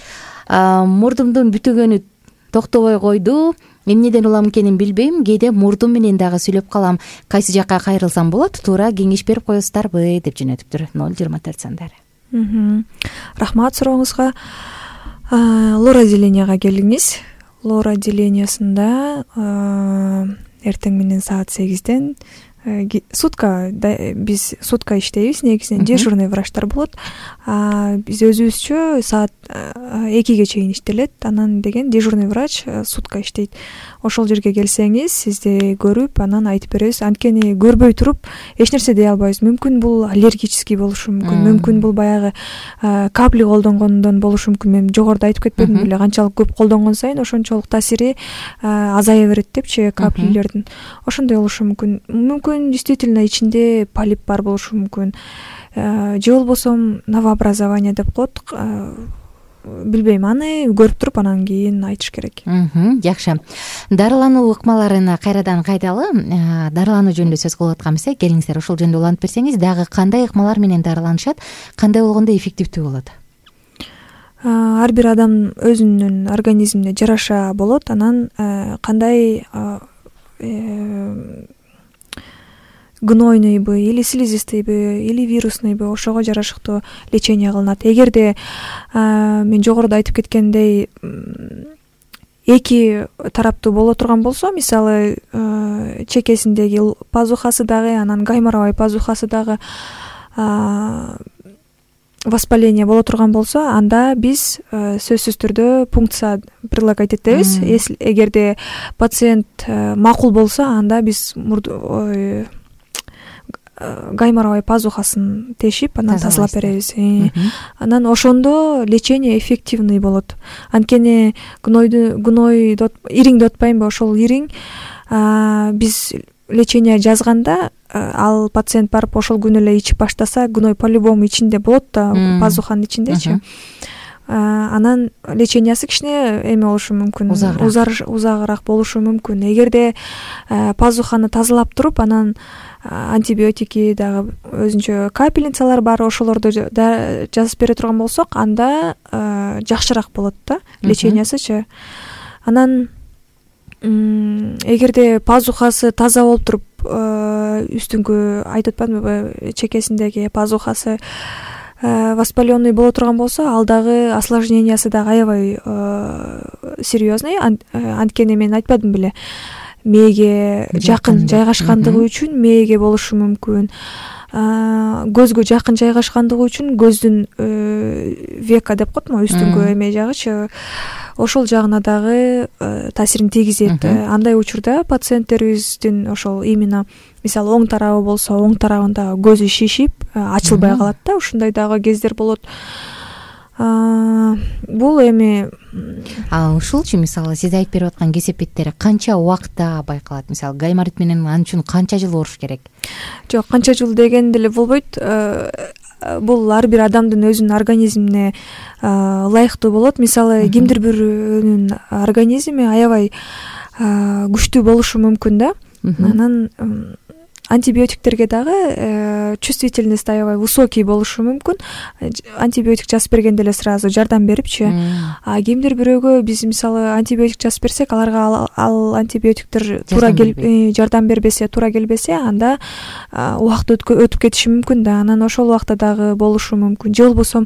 Мурдумдун бүтөгөнү токтобой койду. Эмнеден улам экенин билбейм. Кээде мурдум менен дагы сүйлөп калам. Кайсы жакка кайрылсам болот? Туура кеңеш берип коесуздарбы деп жөнөтүптүр. ноль жыйырма төрт сандары. Рахмат сурооңузга. Лор-отделенияга келиңиз. Лор-отделениясында эртең менен саат сегизден сутка, биз сутка иштейбиз, негизинен дежурный врачтар болот. Биз өзүбүзчө саат экиге чейин иштелет. Анан деген дежурный врач сутка иштейт. Ошол жерге келсеңиз, сизди көрүп, анан айтып беребиз. Анткени көрбөй туруп эч нерсе дей албайбыз. Мүмкүн бул аллергический болушу мүмкүн, мүмкүн бул баягы капли колдонгондон болушу мүмкүн. Мен жогоруда айтып кетпедим беле, канчалык көп колдонгон сайын ошончолук таасири азая берет депчи каплилердин. Ошондой болушу мүмкүн. Мүмкүн действительно ичинде полип бар болушу мүмкүн. Же болбосо новообразование деп коет. Билбейм, аны көрүп туруп анан кийин айтыш керек. Жакшы. Дарылануу ыкмаларына кайрадан кайдалы. Дарылануу жөнүндө сөз кылып атканбыз, келиңиздер ошол жөнүндө улантып берсеңиз, дагы кандай ыкмалар менен дарыланышат, кандай болгондо эффективдүү болот? Ар бир адам өзүнүн организмине жараша болот. Анан кандай гнойныйбы или слизистыйбы или вирусныйбы ошого жарашыктуу лечение кылынат. Эгерде мен жогоруда айтып кеткендей эки тараптуу боло турган болсо, мисалы чекесиндеги пазухасы дагы, анан гайморовый пазухасы дагы воспаление боло турган болсо, анда биз сөзсүз түрдө пункция прилагать этебиз. Эгерде пациент макул болсо, анда биз гайморовый пазухасын тешип, анан тазалап беребиз. Анан ошондо лечение эффективный болот. Анткени гнойду гной ириңди отпайбы, ошол ириң биз лечение жазганда, ал пациент барып ошол күнү эле ичип баштаса, гной по-любому ичинде болот да, пазуханын ичиндечи. Анан лечениясы кичине эме болушу мүмкүн, узагыраак болушу мүмкүн. Эгерде пазуханы тазалап туруп, анан антибиотики дагы өзүнчө капельницалар бар, ошолорду жазып бере турган болсок, анда жакшыраак болот да лечениясычы. Анан эгерде пазухасы таза болуп туруп, үстүңкү айтып атпадымбы, чекесиндеги пазухасы воспаленный боло турган болсо, ал дагы осложнениясы дагы аябай серьезный. Анткени мен айтпадым беле, мээге жакын жайгашкандыгы үчүн мээге болушу мүмкүн. Көзгө жакын жайгашкандыгы үчүн көздүн века деп коетмо, үстүңкү эме жагычы, ошол жагына дагы таасирин тийгизет. Андай учурда пациенттерибиздин ошол именно мисалы оң тарабы болсо, оң тарабында көзү шишип, ачылбай калат да, ушундай дагы кездер болот. Бул эми ушулчу, мисалы сиз айтып берип аткан кесепеттер канча убакытта байкалат? Мисалы гайморит менен ал үчүн канча жыл уруш керек? Жок, канча жыл деген деле болбойт. Бул ар бир адамдын өзүнүн организмине ылайыктуу болот. Мисалы кимдир бирөөнүн организми аябай күчтүү болушу мүмкүн да. Анан антибиотиктерге дагы чувствительность аябай высокий болушу мүмкүн. Антибиотик жазып бергенде эле сразу жардам берипчи. А кимдир бирөөгө биз мисалы антибиотик жазып берсек, аларга ал антибиотиктер туура келип жардам бербесе, туура келбесе, анда убакыт өтүп кетиши мүмкүн да. Анан ошол убакта дагы болушу мүмкүн. Же болбосо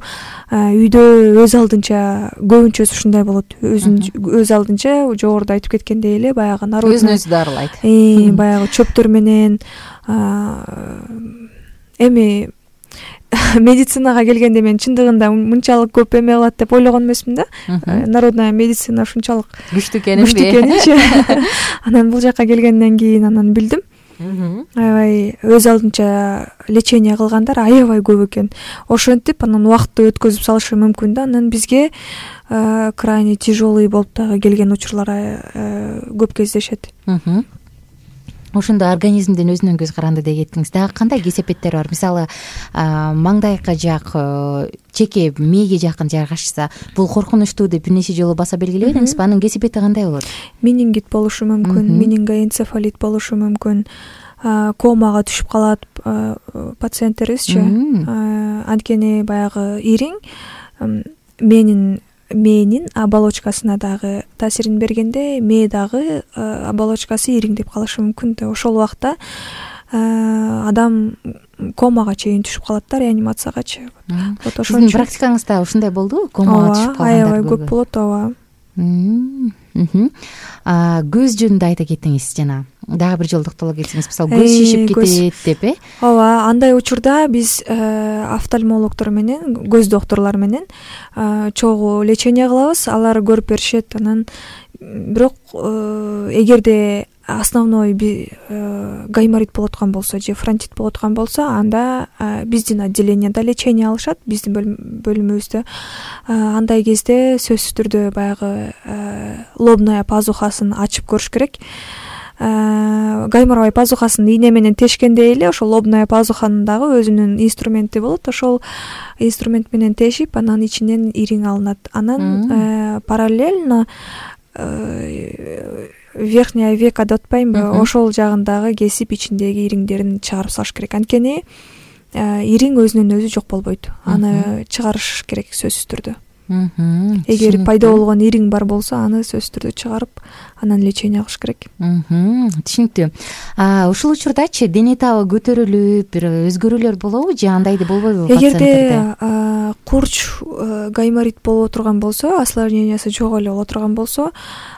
үйдө өз алдынча көбүнчөсү ушундай болот. Өзүн өз алдынча жогоруда айтып кеткендей эле баягы народный өзүн өзү дарылайт. Баягы чөптөр менен эми медицинага келгенде мен чындыгында мынчалык көп эме кылат деп ойлогон эмесмин да. Народная медицина ушунчалык күчтүү экенинби? Күчтүү экенинчи. Анан бул жака келгенден кийин анан билдим. Аябай өз алдынча лечение кылгандар аябай көп экен. Ошентип анан убакытты өткөзүп салышы мүмкүн да. Анан бизге крайне тяжелый болуп дагы келген учурлар көп кездешет. Ошондо организмдин өзүнөн көз каранды деп кеттиңиз. Дагы кандай кесепеттер бар? Мисалы, маңдайга жак, чеке мээге жакын жайгашса, бул коркунучтуу деп бир нече жолу баса белгилебедиңизби? Анын кесепети кандай болот? Менингит болушу мүмкүн, менингоэнцефалит болушу мүмкүн, комага түшүп калат пациенттерибизчи. Анткени баягы ириң менин мээнин оболочкасына дагы таасирин бергенде, мээ дагы оболочкасы ириңдеп калышы мүмкүн да. Ошол убакта адам комага чейин түшүп калат да, реанимациягачы. Вот ошол сиздин практикаңызда ушундай болдубу? Комага түшүп калгандар аябай көп болот, ооба. Көз жөнүндө айта кеттиңиз жана. Дагы бир жолу токтоло кетсеңиз, мисалы көз шишип кетет деп, э? Ооба, андай учурда биз офтальмологдор менен, көз докторлор менен чогуу лечение кылабыз, алар көрүп беришет. Анан бирок эгерде основной гайморит болуп аткан болсо же фронтит болуп аткан болсо, анда биздин отделениеда лечение алышат, биздин бөлүмүбүздө. Андай кезде сөзсүз түрдө баягы лобная пазухасын ачып көрүш керек. Гайморовый пазухасын ийне менен тешкендей эле ошол лобная пазуханын дагы өзүнүн инструменти болот. Ошол инструмент менен тешип, анан ичинен ириң алынат. Анан параллельно верхняя века деп атпаймынбы, ошол жагын дагы кесип ичиндеги ириңдерин чыгарып салыш керек. Анткени ириң өзүнөн өзү жок болбойт. Аны чыгарыш керек сөзсүз түрдө. Эгер пайда болгон ириң бар болсо, аны сөзсүз түрдө чыгарып, анан лечение кылыш керек. Түшүнүктүү. Ушул учурдачы дене табы көтөрүлүп, бир өзгөрүүлөр болобу же андайды болбойбу пациенттерде? Эгерде курч гайморит боло турган болсо, осложнениясы жок эле боло турган болсо,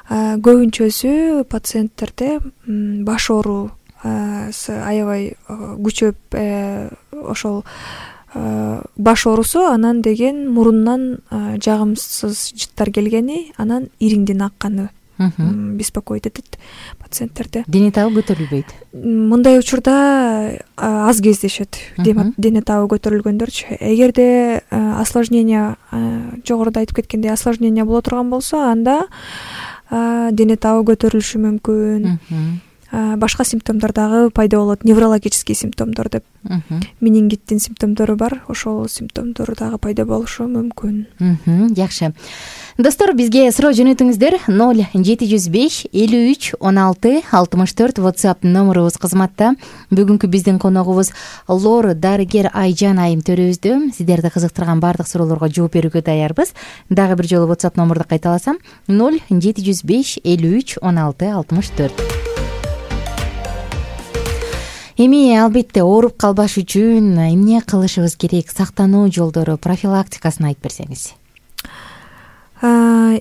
көбүнчөсү пациенттерде баш оору аябай күчөп, ошол баш оорусу, анан деген мурундан жагымсыз жыттар келгени, анан ириңдин акканы беспокоить этет пациенттерде. Дене табы көтөрүлбөйт. Мындай учурда аз кездешет дене табы көтөрүлгөндөрчү. Эгерде осложнение, жогоруда айтып кеткендей осложнение боло турган болсо, анда дене табы көтөрүлүшү мүмкүн. Башка симптомдор дагы пайда болот, неврологический симптомдор деп. Менингиттин симптомдору бар, ошол симптомдор дагы пайда болушу мүмкүн. Жакшы. Достор, бизге суроо жөнөтүңүздөр. ноль жети жүз беш элүү үч он алты алтымыш төрт WhatsApp номерубуз кызматта. Бүгүнкү биздин коногубуз лор дарыгер Айжан айым төрөбүздө. Сиздерди кызыктырган баардык суроолорго жооп берүүгө даярбыз. Дагы бир жолу WhatsApp номерди кайталасам: ноль жети жүз беш элүү үч он алты алтымыш төрт. Эми албетте ооруп калбаш үчүн эмне кылышыбыз керек? Сактануу жолдору, профилактикасын айтып берсеңиз.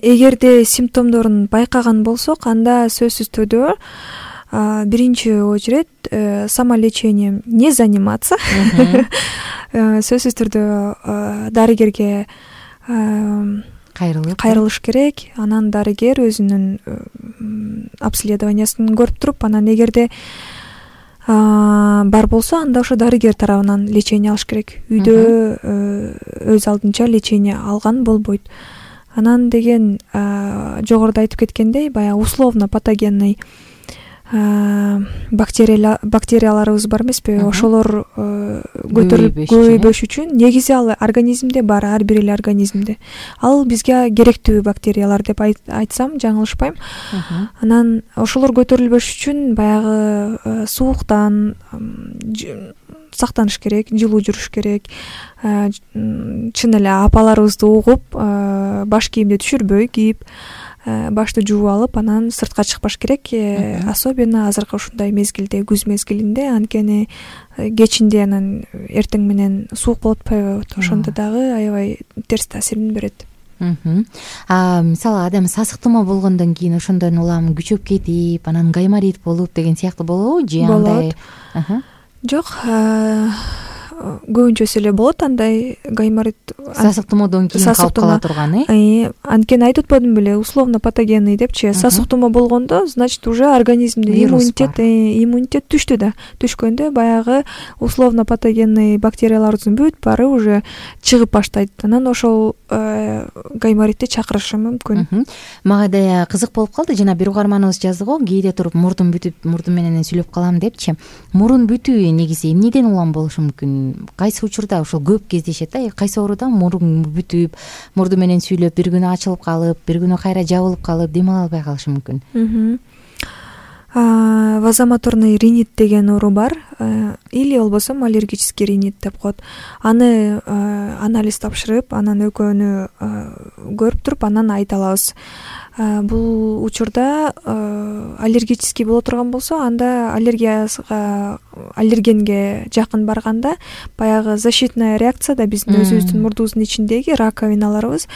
Эгерде симптомдорун байкаган болсок, анда сөзсүз түрдө биринчи очередь самолечением не заниматься. Сөзсүз түрдө дарыгерге кайрылып кайрылыш керек. Анан дарыгер өзүнүн обследованиясын көрүп туруп, анан эгерде бар болсо, анда ошо дарыгер тарабынан лечение алыш керек. Үйдө өз алдынча лечение алган болбойт. Анан деген жогоруда айтып кеткендей, баягы условно патогенный бактерияларыбыз бар эмеспи, ошолор көтөрүлүп көбөйбөш үчүн негизи ал организмде бар, ар бир эле организмде. Ал бизге керектүү бактериялар деп айтсам жаңылышпайм. Анан ошолор көтөрүлбөш үчүн баягы сууктан сактаныш керек, жылуу жүрүш керек. Чын эле апаларыбызды угуп, баш кийимди түшүрбөй кийип, башты жууп алып, анан сыртка чыкпаш керек. Особенно азыркы ушундай мезгилде, күз мезгилинде, анткени кечинде анан эртең менен суук болуп атпайбы? Ошондо дагы аябай терс таасирин берет. Мисалы адам сасык тумоо болгондон кийин ошондон улам күчөп кетип, анан гайморит болуп деген сыяктуу болобу же андай? Жок, көбүнчөсү эле болот андай гайморит. Сасык тумоодон кийин калып кала турган, э? Анткени айтып атпадым беле, условно патогенный депчи. Сасык тумоо болгондо, значит, уже организмде иммунитет иммунитет түштү да. Түшкөндө баягы условно патогенный бактериялардын бүт баары уже чыгып баштайт. Анан ошол гайморитти чакырышы мүмкүн. Мага да кызык болуп калды. Жана бир угарманыбыз жазды го, кээде туруп мурдум бүтүп, мурдум менен сүйлөп калам депчи. Мурун бүтүү негизи эмнеден улам болушу мүмкүн? Кайсы учурда ошол көп кездешет да? Кайсы ооруда мурун бүтүп, мурду менен сүйлөп, бир күнү ачылып калып, бир күнү кайра жабылып калып, дем ала албай калышы мүмкүн. Вазомоторный ринит деген оору бар, или болбосо аллергический ринит деп коет. Аны анализ тапшырып, анан экөөнү көрүп туруп, анан айта алабыз. Бул учурда аллергический боло турган болсо, анда аллергияга, аллергенге жакын барганда баягы защитная реакция да биздин өзүбүздүн мурдубуздун ичиндеги раковиналарыбыз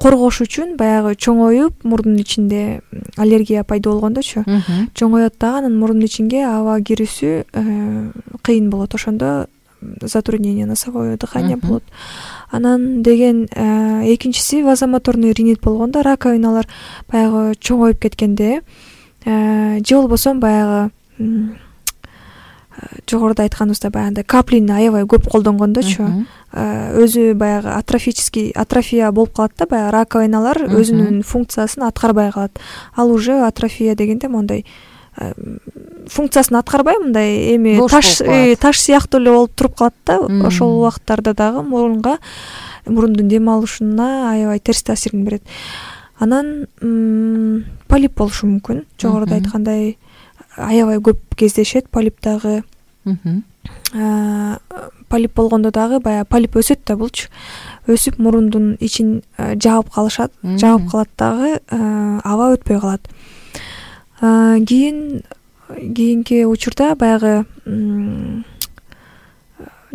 коргош үчүн баягы чоңоюп, мурдун ичинде аллергия пайда болгондочу, чоңоет дагы, анан мурдун ичинге аба кирүүсү кыйын болот. Ошондо затруднение носовое дыхание болот. Анан деген экинчиси вазомоторный ринит болгондо раковиналар баягы чоңоюп кеткенде, же болбосо баягы жогоруда айтканыбыздай баягы каплини аябай көп колдонгондочу, өзү баягы атрофический атрофия болуп калат да, баягы раковиналар өзүнүн функциясын аткарбай калат. Ал уже атрофия дегенде мондай функциясын аткарбай, мындай эми таш таш сыяктуу эле болуп туруп калат да. Ошол убакыттарда дагы мурунга, мурундун дем алышына аябай терс таасирин берет. Анан полип болушу мүмкүн. Жогоруда айткандай аябай көп кездешет полип дагы. Полип болгондо дагы баягы полип өсөт да булчу. Өсүп мурундун ичин жаап калышат, жаап калат дагы, аба өтпөй калат. Кийин кийинки учурда баягы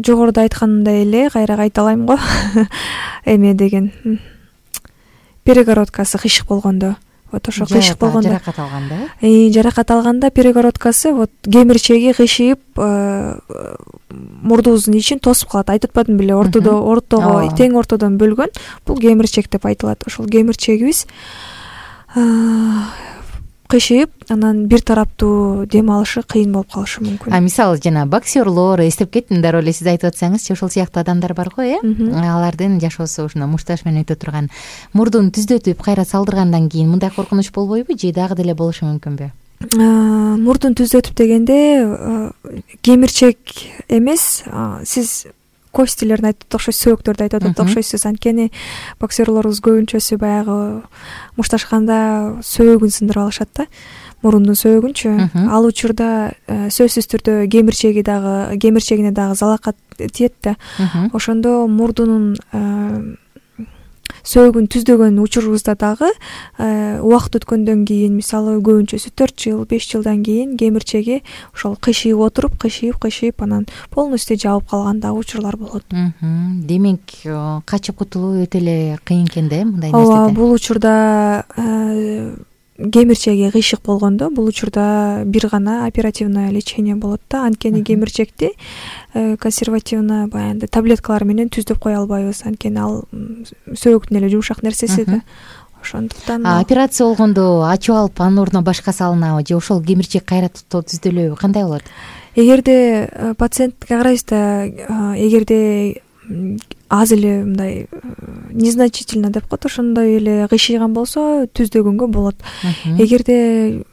жогоруда айткандай эле кайра кайталайм го. Эме деген перегородкасы кыйшык болгондо, вот ошо кыйшык болгондо, жаракат алганда, э, жаракат алганда перегородкасы вот кемирчеги кыйшыйып, мурдубуздун ичин тосуп калат. Айтып атпадым беле, ортодо, ортого, тең ортодон бөлгөн. Бул кемирчек деп айтылат. Ошол кемирчегибиз кыйшыйып, анан бир тараптуу дем алышы кыйын болуп калышы мүмкүн. А мисалы жана боксерлор, эстеп кеттим, дароо эле сиз айтып атсаңызчы, ошол сыяктуу адамдар бар го, э? Алардын жашоосу ушуна мушташ менен өтө турган, мурдун түздөтүп, кайра салдыргандан кийин мындай коркунуч болбойбу, же дагы деле болушу мүмкүнбү? Мурдун түздөтүп дегенде кемирчек эмес, сиз костилерин айтып окшойсуз, сөөктөрдү айтып атат окшойсуз. Анткени боксерлорубуз көбүнчөсү баягы мушташканда сөөгүн сындырып алышат да, мурундун сөөгүнчү. Ал учурда сөзсүз түрдө кемирчеги дагы, кемирчегине дагы залакат тиет да. Ошондо мурдунун сөөгүн түздөгөн учурубузда дагы убакыт өткөндөн кийин, мисалы көбүнчөсү төрт жыл, беш жылдан кийин кемирчеги ошол кыйшыйып отуруп, кыйшыйып, кыйшыйып, анан полностью жабып калган дагы учурлар болот. Демек, качып кутулуу өтө эле кыйын экен да, мындай нерседе. Ооба, бул учурда кемирчеги кыйшык болгондо, бул учурда бир гана оперативное лечение болот да. Анткени кемирчекти консервативно баягы таблеткалар менен түздөп кое албайбыз. Анткени ал сөөктүн эле жумшак нерсеси да. Ошондуктан операция болгондо ачып алып, анын ордуна башка салынабы, же ошол кемирчек кайра түздөлөбү, кандай болот? Эгерде пациентке карайбыз да, эгерде аз эле мындай незначительно деп коет, ошондой эле кыйшыйган болсо түздөгөнгө болот. Эгерде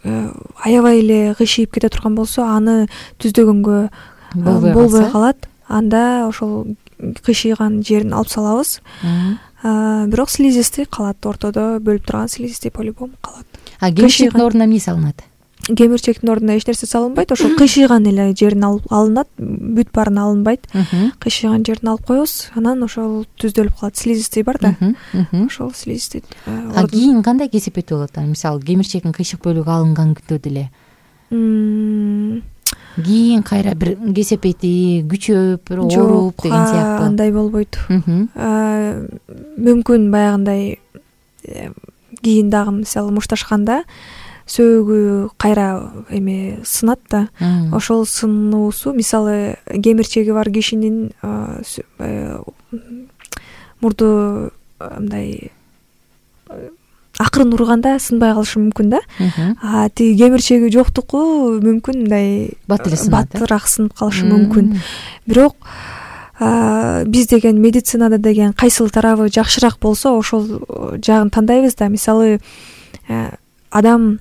аябай эле кыйшыйып кете турган болсо аны түздөгөнгө болбой калат. Анда ошол кыйшыйган жерин алып салабыз. Бирок слизистый калат, ортодо бөлүп турган слизистый по-любому калат. А кемирчектин ордуна эмне салынат? Кемирчектин ордуна эч нерсе салынбайт, ошол кыйшыйган эле жерин алынат, бүт баарын алынбайт. Кыйшыйган жерин алып коебуз, анан ошол түздөлүп калат. Слизистый бар да, ошол слизистый. А кийин кандай кесепети болот? Мисалы, кемирчектин кыйшык бөлүгү алынган күндө деле кийин кайра бир кесепети күчөп, бир ооруп деген сыяктуу. Андай болбойт. Мүмкүн баягындай кийин дагы мисалы мушташканда сөөгү кайра эме сынат да. Ошол сынуусу мисалы кемирчеги бар кишинин мурду мындай акырын урганда сынбай калышы мүмкүн да. А тиги кемирчеги жоктуку мүмкүн мындай баттыраак сынып калышы мүмкүн. Бирок биз деген медицинада деген кайсыл тарабы жакшыраак болсо ошол жагын тандайбыз да. Мисалы адам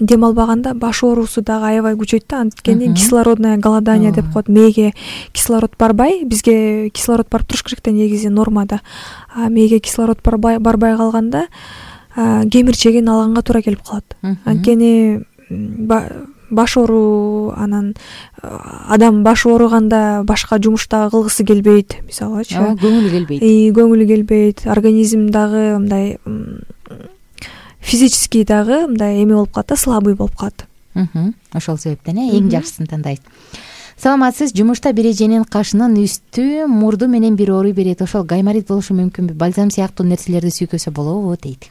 дем албаганда баш оорусу дагы аябай күчөйт да, анткени кислородное голодание деп коет. Мээге кислород барбай, бизге кислород барып туруш керек да негизи нормада. А мээге кислород барбай барбай калганда кемирчегин алганга туура келип калат. Анткени баш ооруу, анан адам баш ооруганда башка жумуш дагы кылгысы келбейт, мисалычы. Көңүлү келбейт. Көңүлү келбейт, организм дагы мындай физический дагы мындай эме болуп калат да, слабый болуп калат. Ошол себептен эң жакшысын тандайсыз. Саламатсыз, жумушта бир эженин кашынын үстү, мурду менен бир ооруй берет. Ошол гайморит болушу мүмкүнбү? Бальзам сыяктуу нерселерди сүйкөсө болобу дейт.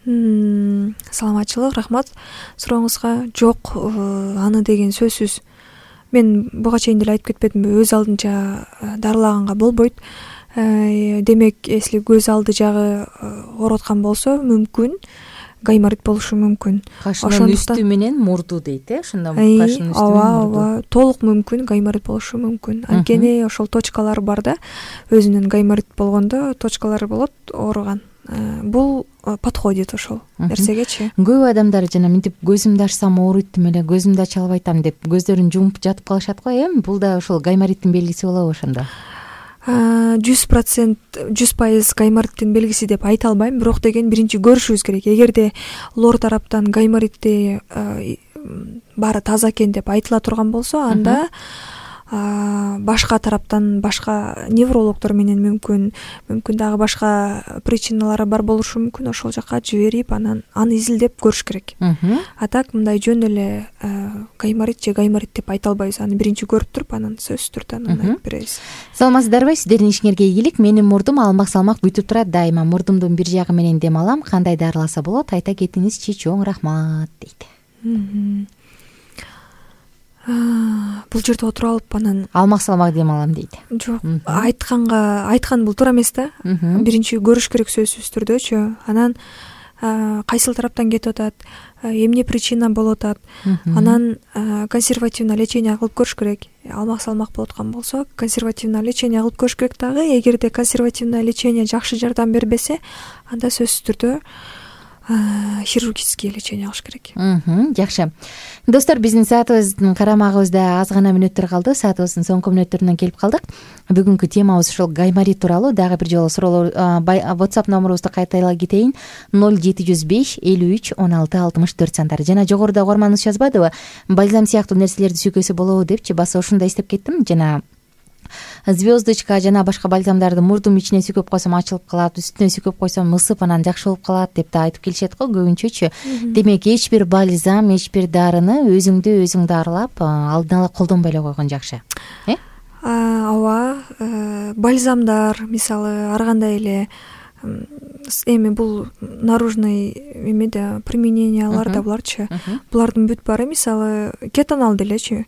Саламатчылык, рахмат сурооңузга. Жок, аны деген сөзсүз. Мен буга чейин деле айтып кетпедимби, өз алдынча дарылаганга болбойт. Демек, если көз алды жагы ооруп аткан болсо, мүмкүн гайморит болушу мүмкүн. Кашынын үстү менен мурду дейт, э? Ошондо кашынын үстү менен мурду. Толук мүмкүн гайморит болушу мүмкүн. Анткени ошол точкалар бар да, өзүнүн гайморит болгондо точкалары болот ооруган. Бул подходит ошол нерсегечи. Көп адамдар жана мынтип көзүмдү ачсам ооруйттум эле, көзүмдү ача албайтам деп көздөрүн жумуп жатып калышат го, э? Бул да ошол гаймориттин белгиси болобу ошондо? жүз процент жүз пайыз гаймориттин белгиси деп айта албайм, бирок деген биринчи көрүшүбүз керек. Эгерде лор тараптан гайморитти баары таза экен деп айтыла турган болсо, анда башка тараптан башка неврологдор менен мүмкүн мүмкүн дагы башка причиналары бар болушу мүмкүн. Ошол жака жиберип, анан аны изилдеп көрүш керек. А так мындай жөн эле гайморит же гайморит деп айта албайбыз. Аны биринчи көрүп туруп, анан сөзсүз түрдө анан айтып беребиз. Саламатсыздарбы? Сиздердин ишиңерге ийгилик. Менин мурдум алмак-салмак бүтүп турат дайыма. Мурдумдун бир жагы менен дем алам. Кандай дарыласа болот? Айта кетиңизчи, чоң рахмат дейт. Бул жерде отуруп алып анан алмак-салмак дем алам дейт. Жок, айтканга айткан бул туура эмес да. Биринчи көрүш керек сөзсүз түрдөчү. Анан кайсыл тараптан кетип атат, эмне причина болуп атат. Анан консервативный лечение кылып көрүш керек. Алмак-салмак болуп аткан болсо, консервативный лечение кылып көрүш керек дагы. Эгерде консервативный лечение жакшы жардам бербесе, анда сөзсүз түрдө хирургический лечение кылыш керек. Жакшы. Достор, биздин саатыбыздын карамагыбызда аз гана мүнөттөр калды. Саатыбыздын соңку мүнөттөрүнө келип калдык. Бүгүнкү темабыз ушул гайморит тууралуу. Дагы бир жолу суроолор WhatsApp номерубузду кайталай кетейин. ноль жети жүз беш элүү үч он алты алтымыш төрт сандары. Жана жогоруда угарманыбыз жазбадыбы? Бальзам сыяктуу нерселерди сүйкөсө болобу депчи. Баса ушундай издеп кеттим. Жана звездочка жана башка бальзамдарды мурдум ичине сүйкөп койсом ачылып калат, үстүнө сүйкөп койсом ысып, анан жакшы болуп калат деп да айтып келишет го көбүнчөчү. Демек, эч бир бальзам, эч бир дарыны өзүңдү өзүң дарылап, алдын ала колдонбой эле койгон жакшы. Э? Ооба, бальзамдар, мисалы, ар кандай эле эми бул наружный эмеде применениялар да буларчы. Булардын бүт баары, мисалы, кетонал делечи.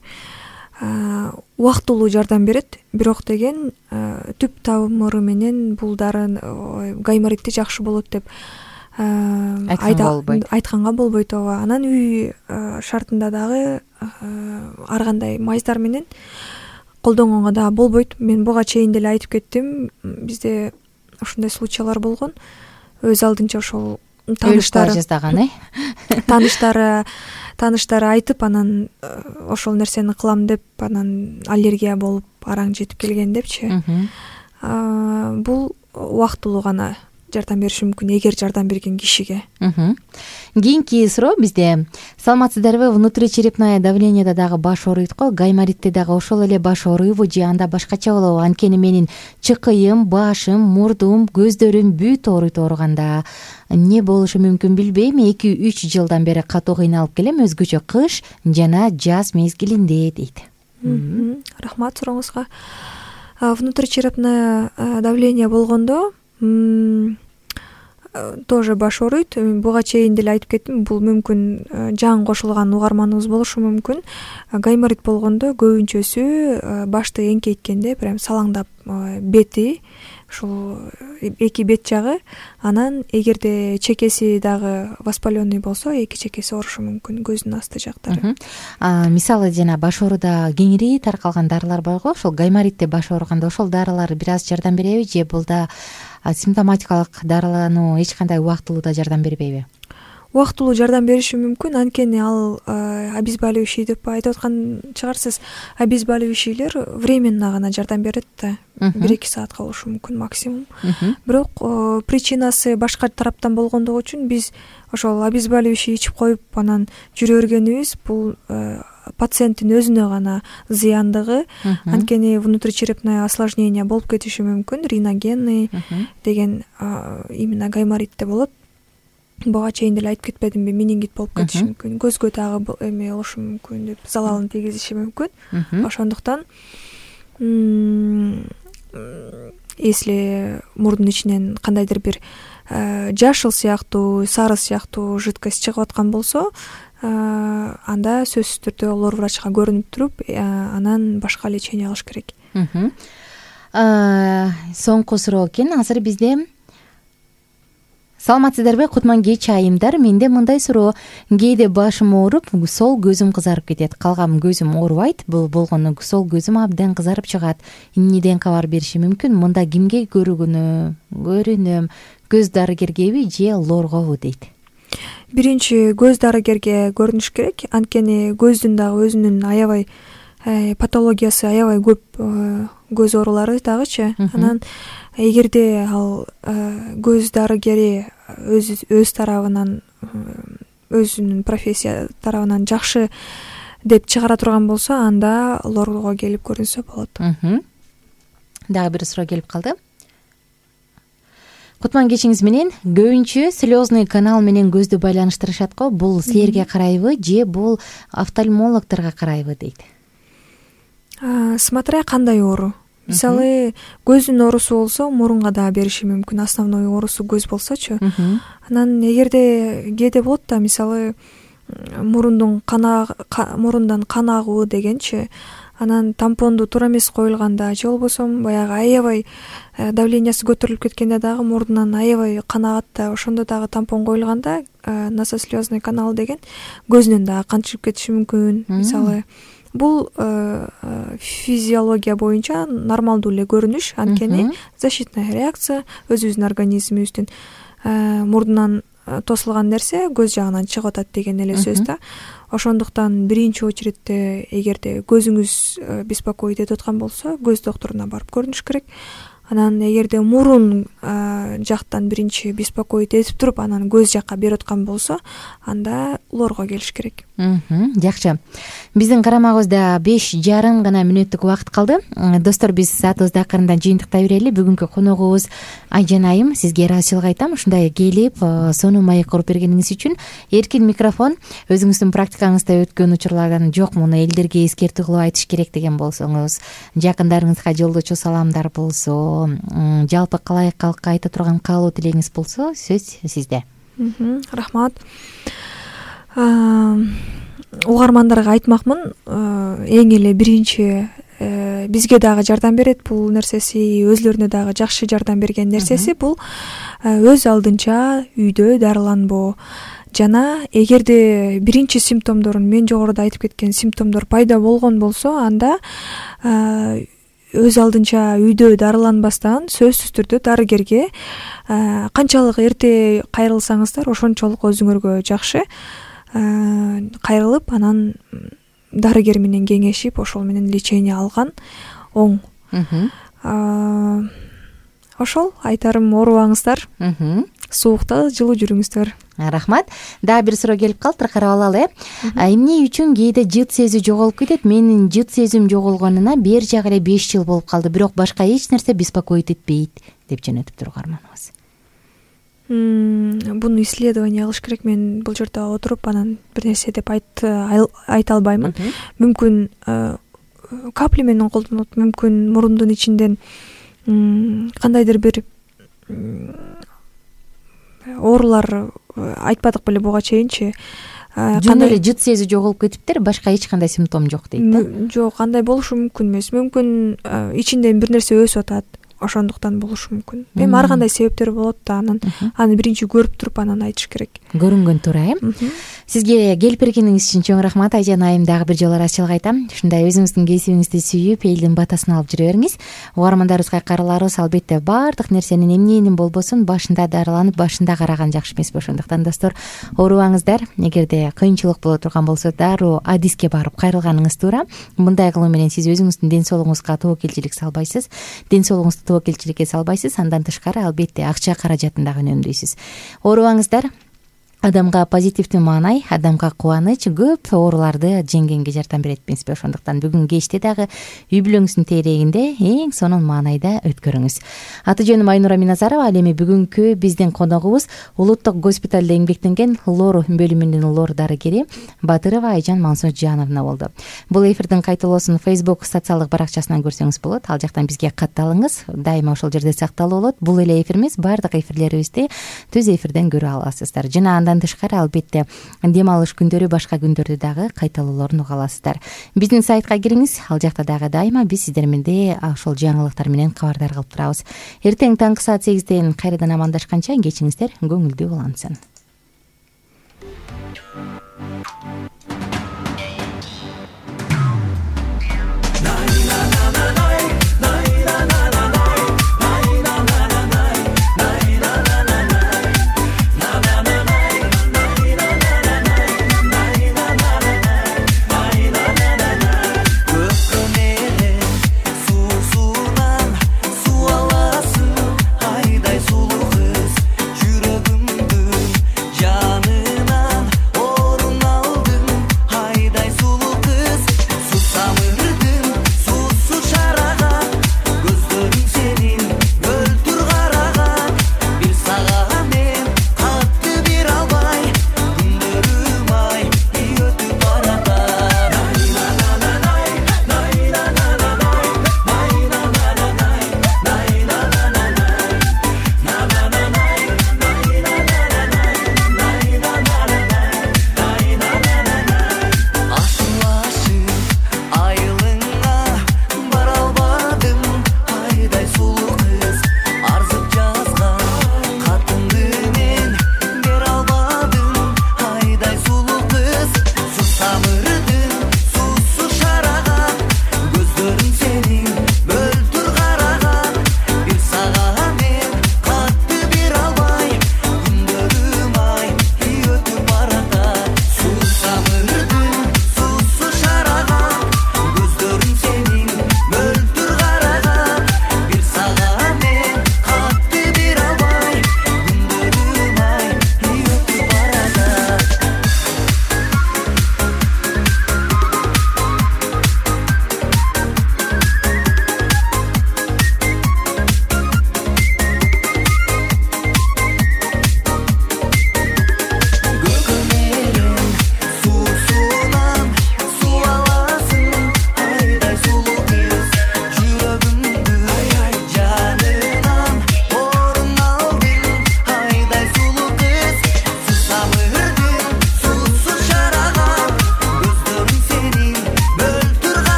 Убактылуу жардам берет, бирок деген түп тамыры менен бул дары гайморитти жакшы болот деп айтканга болбойт. Ооба. Анан үй шартында дагы ар кандай майздар менен колдонгонго дагы болбойт. Мен буга чейин деле айтып кеттим, бизде ушундай случайлар болгон. Өз алдынча ошол тааныштары жаздаган, э? Тааныштары тааныштары айтып, анан ошол нерсени кылам деп, анан аллергия болуп, араң жетип келген депчи. Бул убактылуу гана жардам бериши мүмкүн, эгер жардам берген кишиге. Кийинки суроо бизде: саламатсыздарбы, внутричерепное давлениеда дагы баш ооруйт го, гайморитте дагы ошол эле баш ооруйбу же анда башкача болобу? Анткени менин чыкыйым, башым, мурдум, көздөрүм бүт ооруйт. Ооруганда эмне болушу мүмкүн билбейм. эки үч жылдан бери катуу кыйналып келем, өзгөчө кыш жана жаз мезгилинде, дейт. Рахмат сурооңузга. Внутричерепное давление болгондо тоже баш ооруйт. Буга чейин деле айтып кеттим, бул мүмкүн жаңы кошулган угарманыбыз болушу мүмкүн. Гайморит болгондо көбүнчөсү башты эңкейткенде прям салаңдап бети, ушул эки бет жагы, анан эгерде чекеси дагы воспаленный болсо, эки чекеси оорушу мүмкүн, көздүн асты жактары. Мисалы жана баш ооруда кеңири таркалган дарылар барго, ошол гайморитте баш ооруганда ошол дарылар бир аз жардам береби же бул да симптоматикалык дарылануу эч кандай убактылуу да жардам бербейби? Убактылуу жардам бериши мүмкүн, анткени ал обезболивающий деп айтып аткан чыгарсыз. Обезболивающийлер временно гана жардам берет да, бир эки саатка болушу мүмкүн максимум. Бирок причинасы башка тараптан болгондугу үчүн биз ошол обезболивающий ичип коюп анан жүрө бергенибиз бул пациенттин өзүнө гана зыяндыгы. Анткени внутричерепное осложнение болуп кетиши мүмкүн, риногенный деген именно гайморитте болот. Буга чейин деле айтып кетпедимби, менингит болуп кетиши мүмкүн, көзгө дагы эме болушу мүмкүн деп, залалын тийгизиши мүмкүн. Ошондуктан если мурдун ичинен кандайдыр бир жашыл сыяктуу, сары сыяктуу жидкость чыгып аткан болсо, анда сөзсүз түрдө лор врачка көрүнүп туруп, анан башка лечение кылыш керек. Соңку суроо экен азыр бизде. Саламатсыздарбы, Кутман кеч айымдар. Менде мындай суроо: кээде башым ооруп, сол көзүм кызарып кетет, калган көзүм оорубайт. Бул болгону сол көзүм абдан кызарып чыгат. Эмнеден кабар бериши мүмкүн? Мында кимге көрүнөм? Көрүнөм, көз дарыгергеби же лоргобу, дейт. Биринчи көз дарыгерге көрүнүш керек, анткени көздүн дагы өзүнүн аябай патологиясы, аябай көп көз оорулары дагычы. Анан эгерде ал көз дарыгери өз өз тарабынан, өзүнүн профессия тарабынан жакшы деп чыгара турган болсо, анда лорго келип көрүнсө болот. Дагы бир суроо келип калды. Кутман кечиңиз менен. Көбүнчө слезный канал менен көздү байланыштырышат го. Бул силерге карайбы же бул офтальмологторго карайбы, дейт. Смотря кандай оору. Мисалы, көздүн оорусу болсо, мурунга да бериши мүмкүн. Основной оорусу көз болсочу. Анан эгерде кээде болот да, мисалы, мурундун кана мурундан кан агуу дегенчи, анан тампонду туура эмес коюлганда же болбосо баягы аябай давлениясы көтөрүлүп кеткенде дагы мурдунан аябай кан агат да, ошондо дагы тампон коюлганда насослезный канал деген көзүнөн дагы кан чыгып кетиши мүмкүн. Мисалы, бул физиология боюнча нормалдуу эле көрүнүш, анткени защитная реакция өзүбүздүн организмибиздин мурдунан тосулган нерсе көз жагынан чыгып атат деген эле сөз да. Ошондуктан биринчи очередте эгерде көзүңүз беспокоить этип аткан болсо, көз докторуна барып көрүнүш керек. Анан эгерде мурун жактан биринчи беспокоить этип туруп, анан көз жакка берип аткан болсо, анда лорго келиш керек. Жакшы. Биздин карамагыбызда беш жарым гана мүнөттүк убакыт калды. Достор, биз саатыбызды акырындан жыйынтыктай берели. Бүгүнкү коногубуз Айжан айым. Сизге ыраазычылык айтам, ушундай келип, сонун маек куруп бергениңиз үчүн. Эркин микрофон. Өзүңүздүн практикаңызда өткөн учурлардан жок, муну элдерге эскертүү кылып айтыш керек деген болсоңуз, жакындарыңызга жолдочу саламдар болсо, жалпы калай калкка айта турган каалоо тилегиңиз болсо, сөз сизде. Рахмат. Угармандарга айтмакмын, эң эле биринчи бизге дагы жардам берет бул нерсеси, өзлөрүнө дагы жакшы жардам берген нерсеси бул өз алдынча үйдө дарыланбоо. жана эгерде биринчи симптомдорун мен жогоруда айтып кеткен симптомдор пайда болгон болсо, анда өз алдынча үйдө дарыланбастан сөзсүз түрдө дарыгерге канчалык эрте кайрылсаңыздар ошончолук өзүңөргө жакшы. Кайрылып анан дарыгер менен кеңешип ошол менен лечение алган оң. Ошол айтарым, оорубаңыздар, суукта жылуу жүрүңүздөр. Рахмат. Дагы бир суроо келип калды, карап алалы. Эмне үчүн кээде жыт сезүү жоголуп кетет? Менин жыт сезүүм жоголгонуна бери жагы эле беш жыл болуп калды, бирок башка эч нерсе беспокоить этпейт деп жөнөтүптүр угарманыбыз. Буну исследование кылыш керек. Мен бул жерде отуруп анан бир нерсе деп айта албаймын. Мүмкүн капли менен колдонот, мүмкүн мурундун ичинден кандайдыр бир оорулар айтпадык беле буга чейинчи. Жөн эле жыт сезүү жоголуп кетиптир, башка эч кандай симптом жок дейт да. Жок, андай болушу мүмкүн эмес. Мүмкүн ичинден бир нерсе өсүп атат, ошондуктан болушу мүмкүн. Эми ар кандай себептер болот да, анан аны биринчи көрүп туруп анан айтыш керек. Көрүнгөн туура, э? Сизге келип бергениңиз үчүн чоң рахмат Айжан айым. Дагы бир жолу ыраазычылык айтам. Ушундай өзүңүздүн кесибиңизди сүйүп, элдин батасын алып жүрө бериңиз. Угармандарыбызга каарыларыбыз, албетте баардык нерсенин эмненин болбосун башында дарыланып, башында караган жакшы эмеспи. Ошондуктан достор, оорубаңыздар. Эгерде кыйынчылык боло турган болсо, дароо адиске барып кайрылганыңыз туура. Мындай кылуу менен сиз өзүңүздүн ден соолугуңузга тобокелчилик салбайсыз. Ден соолугуңузду тобокелчиликке салбайсыз. Андан тышкары албетте акча каражатын дагы үнөмдөйсүз. Оорубаңыздар. Адамга позитивдүү маанай, адамга кубаныч көп ооруларды жеңгенге жардам берет эмеспи. Ошондуктан бүгүн кечте дагы үй бүлөңүздүн тегерегинде эң сонун маанайда өткөрүңүз. Аты жөнүм Айнура Миназарова. Ал эми бүгүнкү биздин коногубуз улуттук госпиталда эмгектенген лор бөлүмүнүн лор дарыгери Батырова Айжан Мансуджановна болду. Бул эфирдин кайталоосун Facebook социалдык баракчасынан көрсөңүз болот. Ал жактан бизге катталыңыз. Дайыма ошол жерде сакталып болот. Бул эле эфир эмес, баардык эфирлерибизди түз эфирден көрө аласыздар. Жана андан тышкары албетте дем алыш күндөрү, башка күндөрдү дагы кайталоолорун уга аласыздар. Биздин сайтка кириңиз. Ал жакта дагы дайыма биз сиздер менен ошол жаңылыктар менен кабардар кылып турабыз. Эртең таңкы саат сегизден кайрадан амандашканча кечиңиздер көңүлдүү улансын. Жүрөгүмдүн жанынан орун алдым.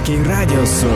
Эркин радиосу.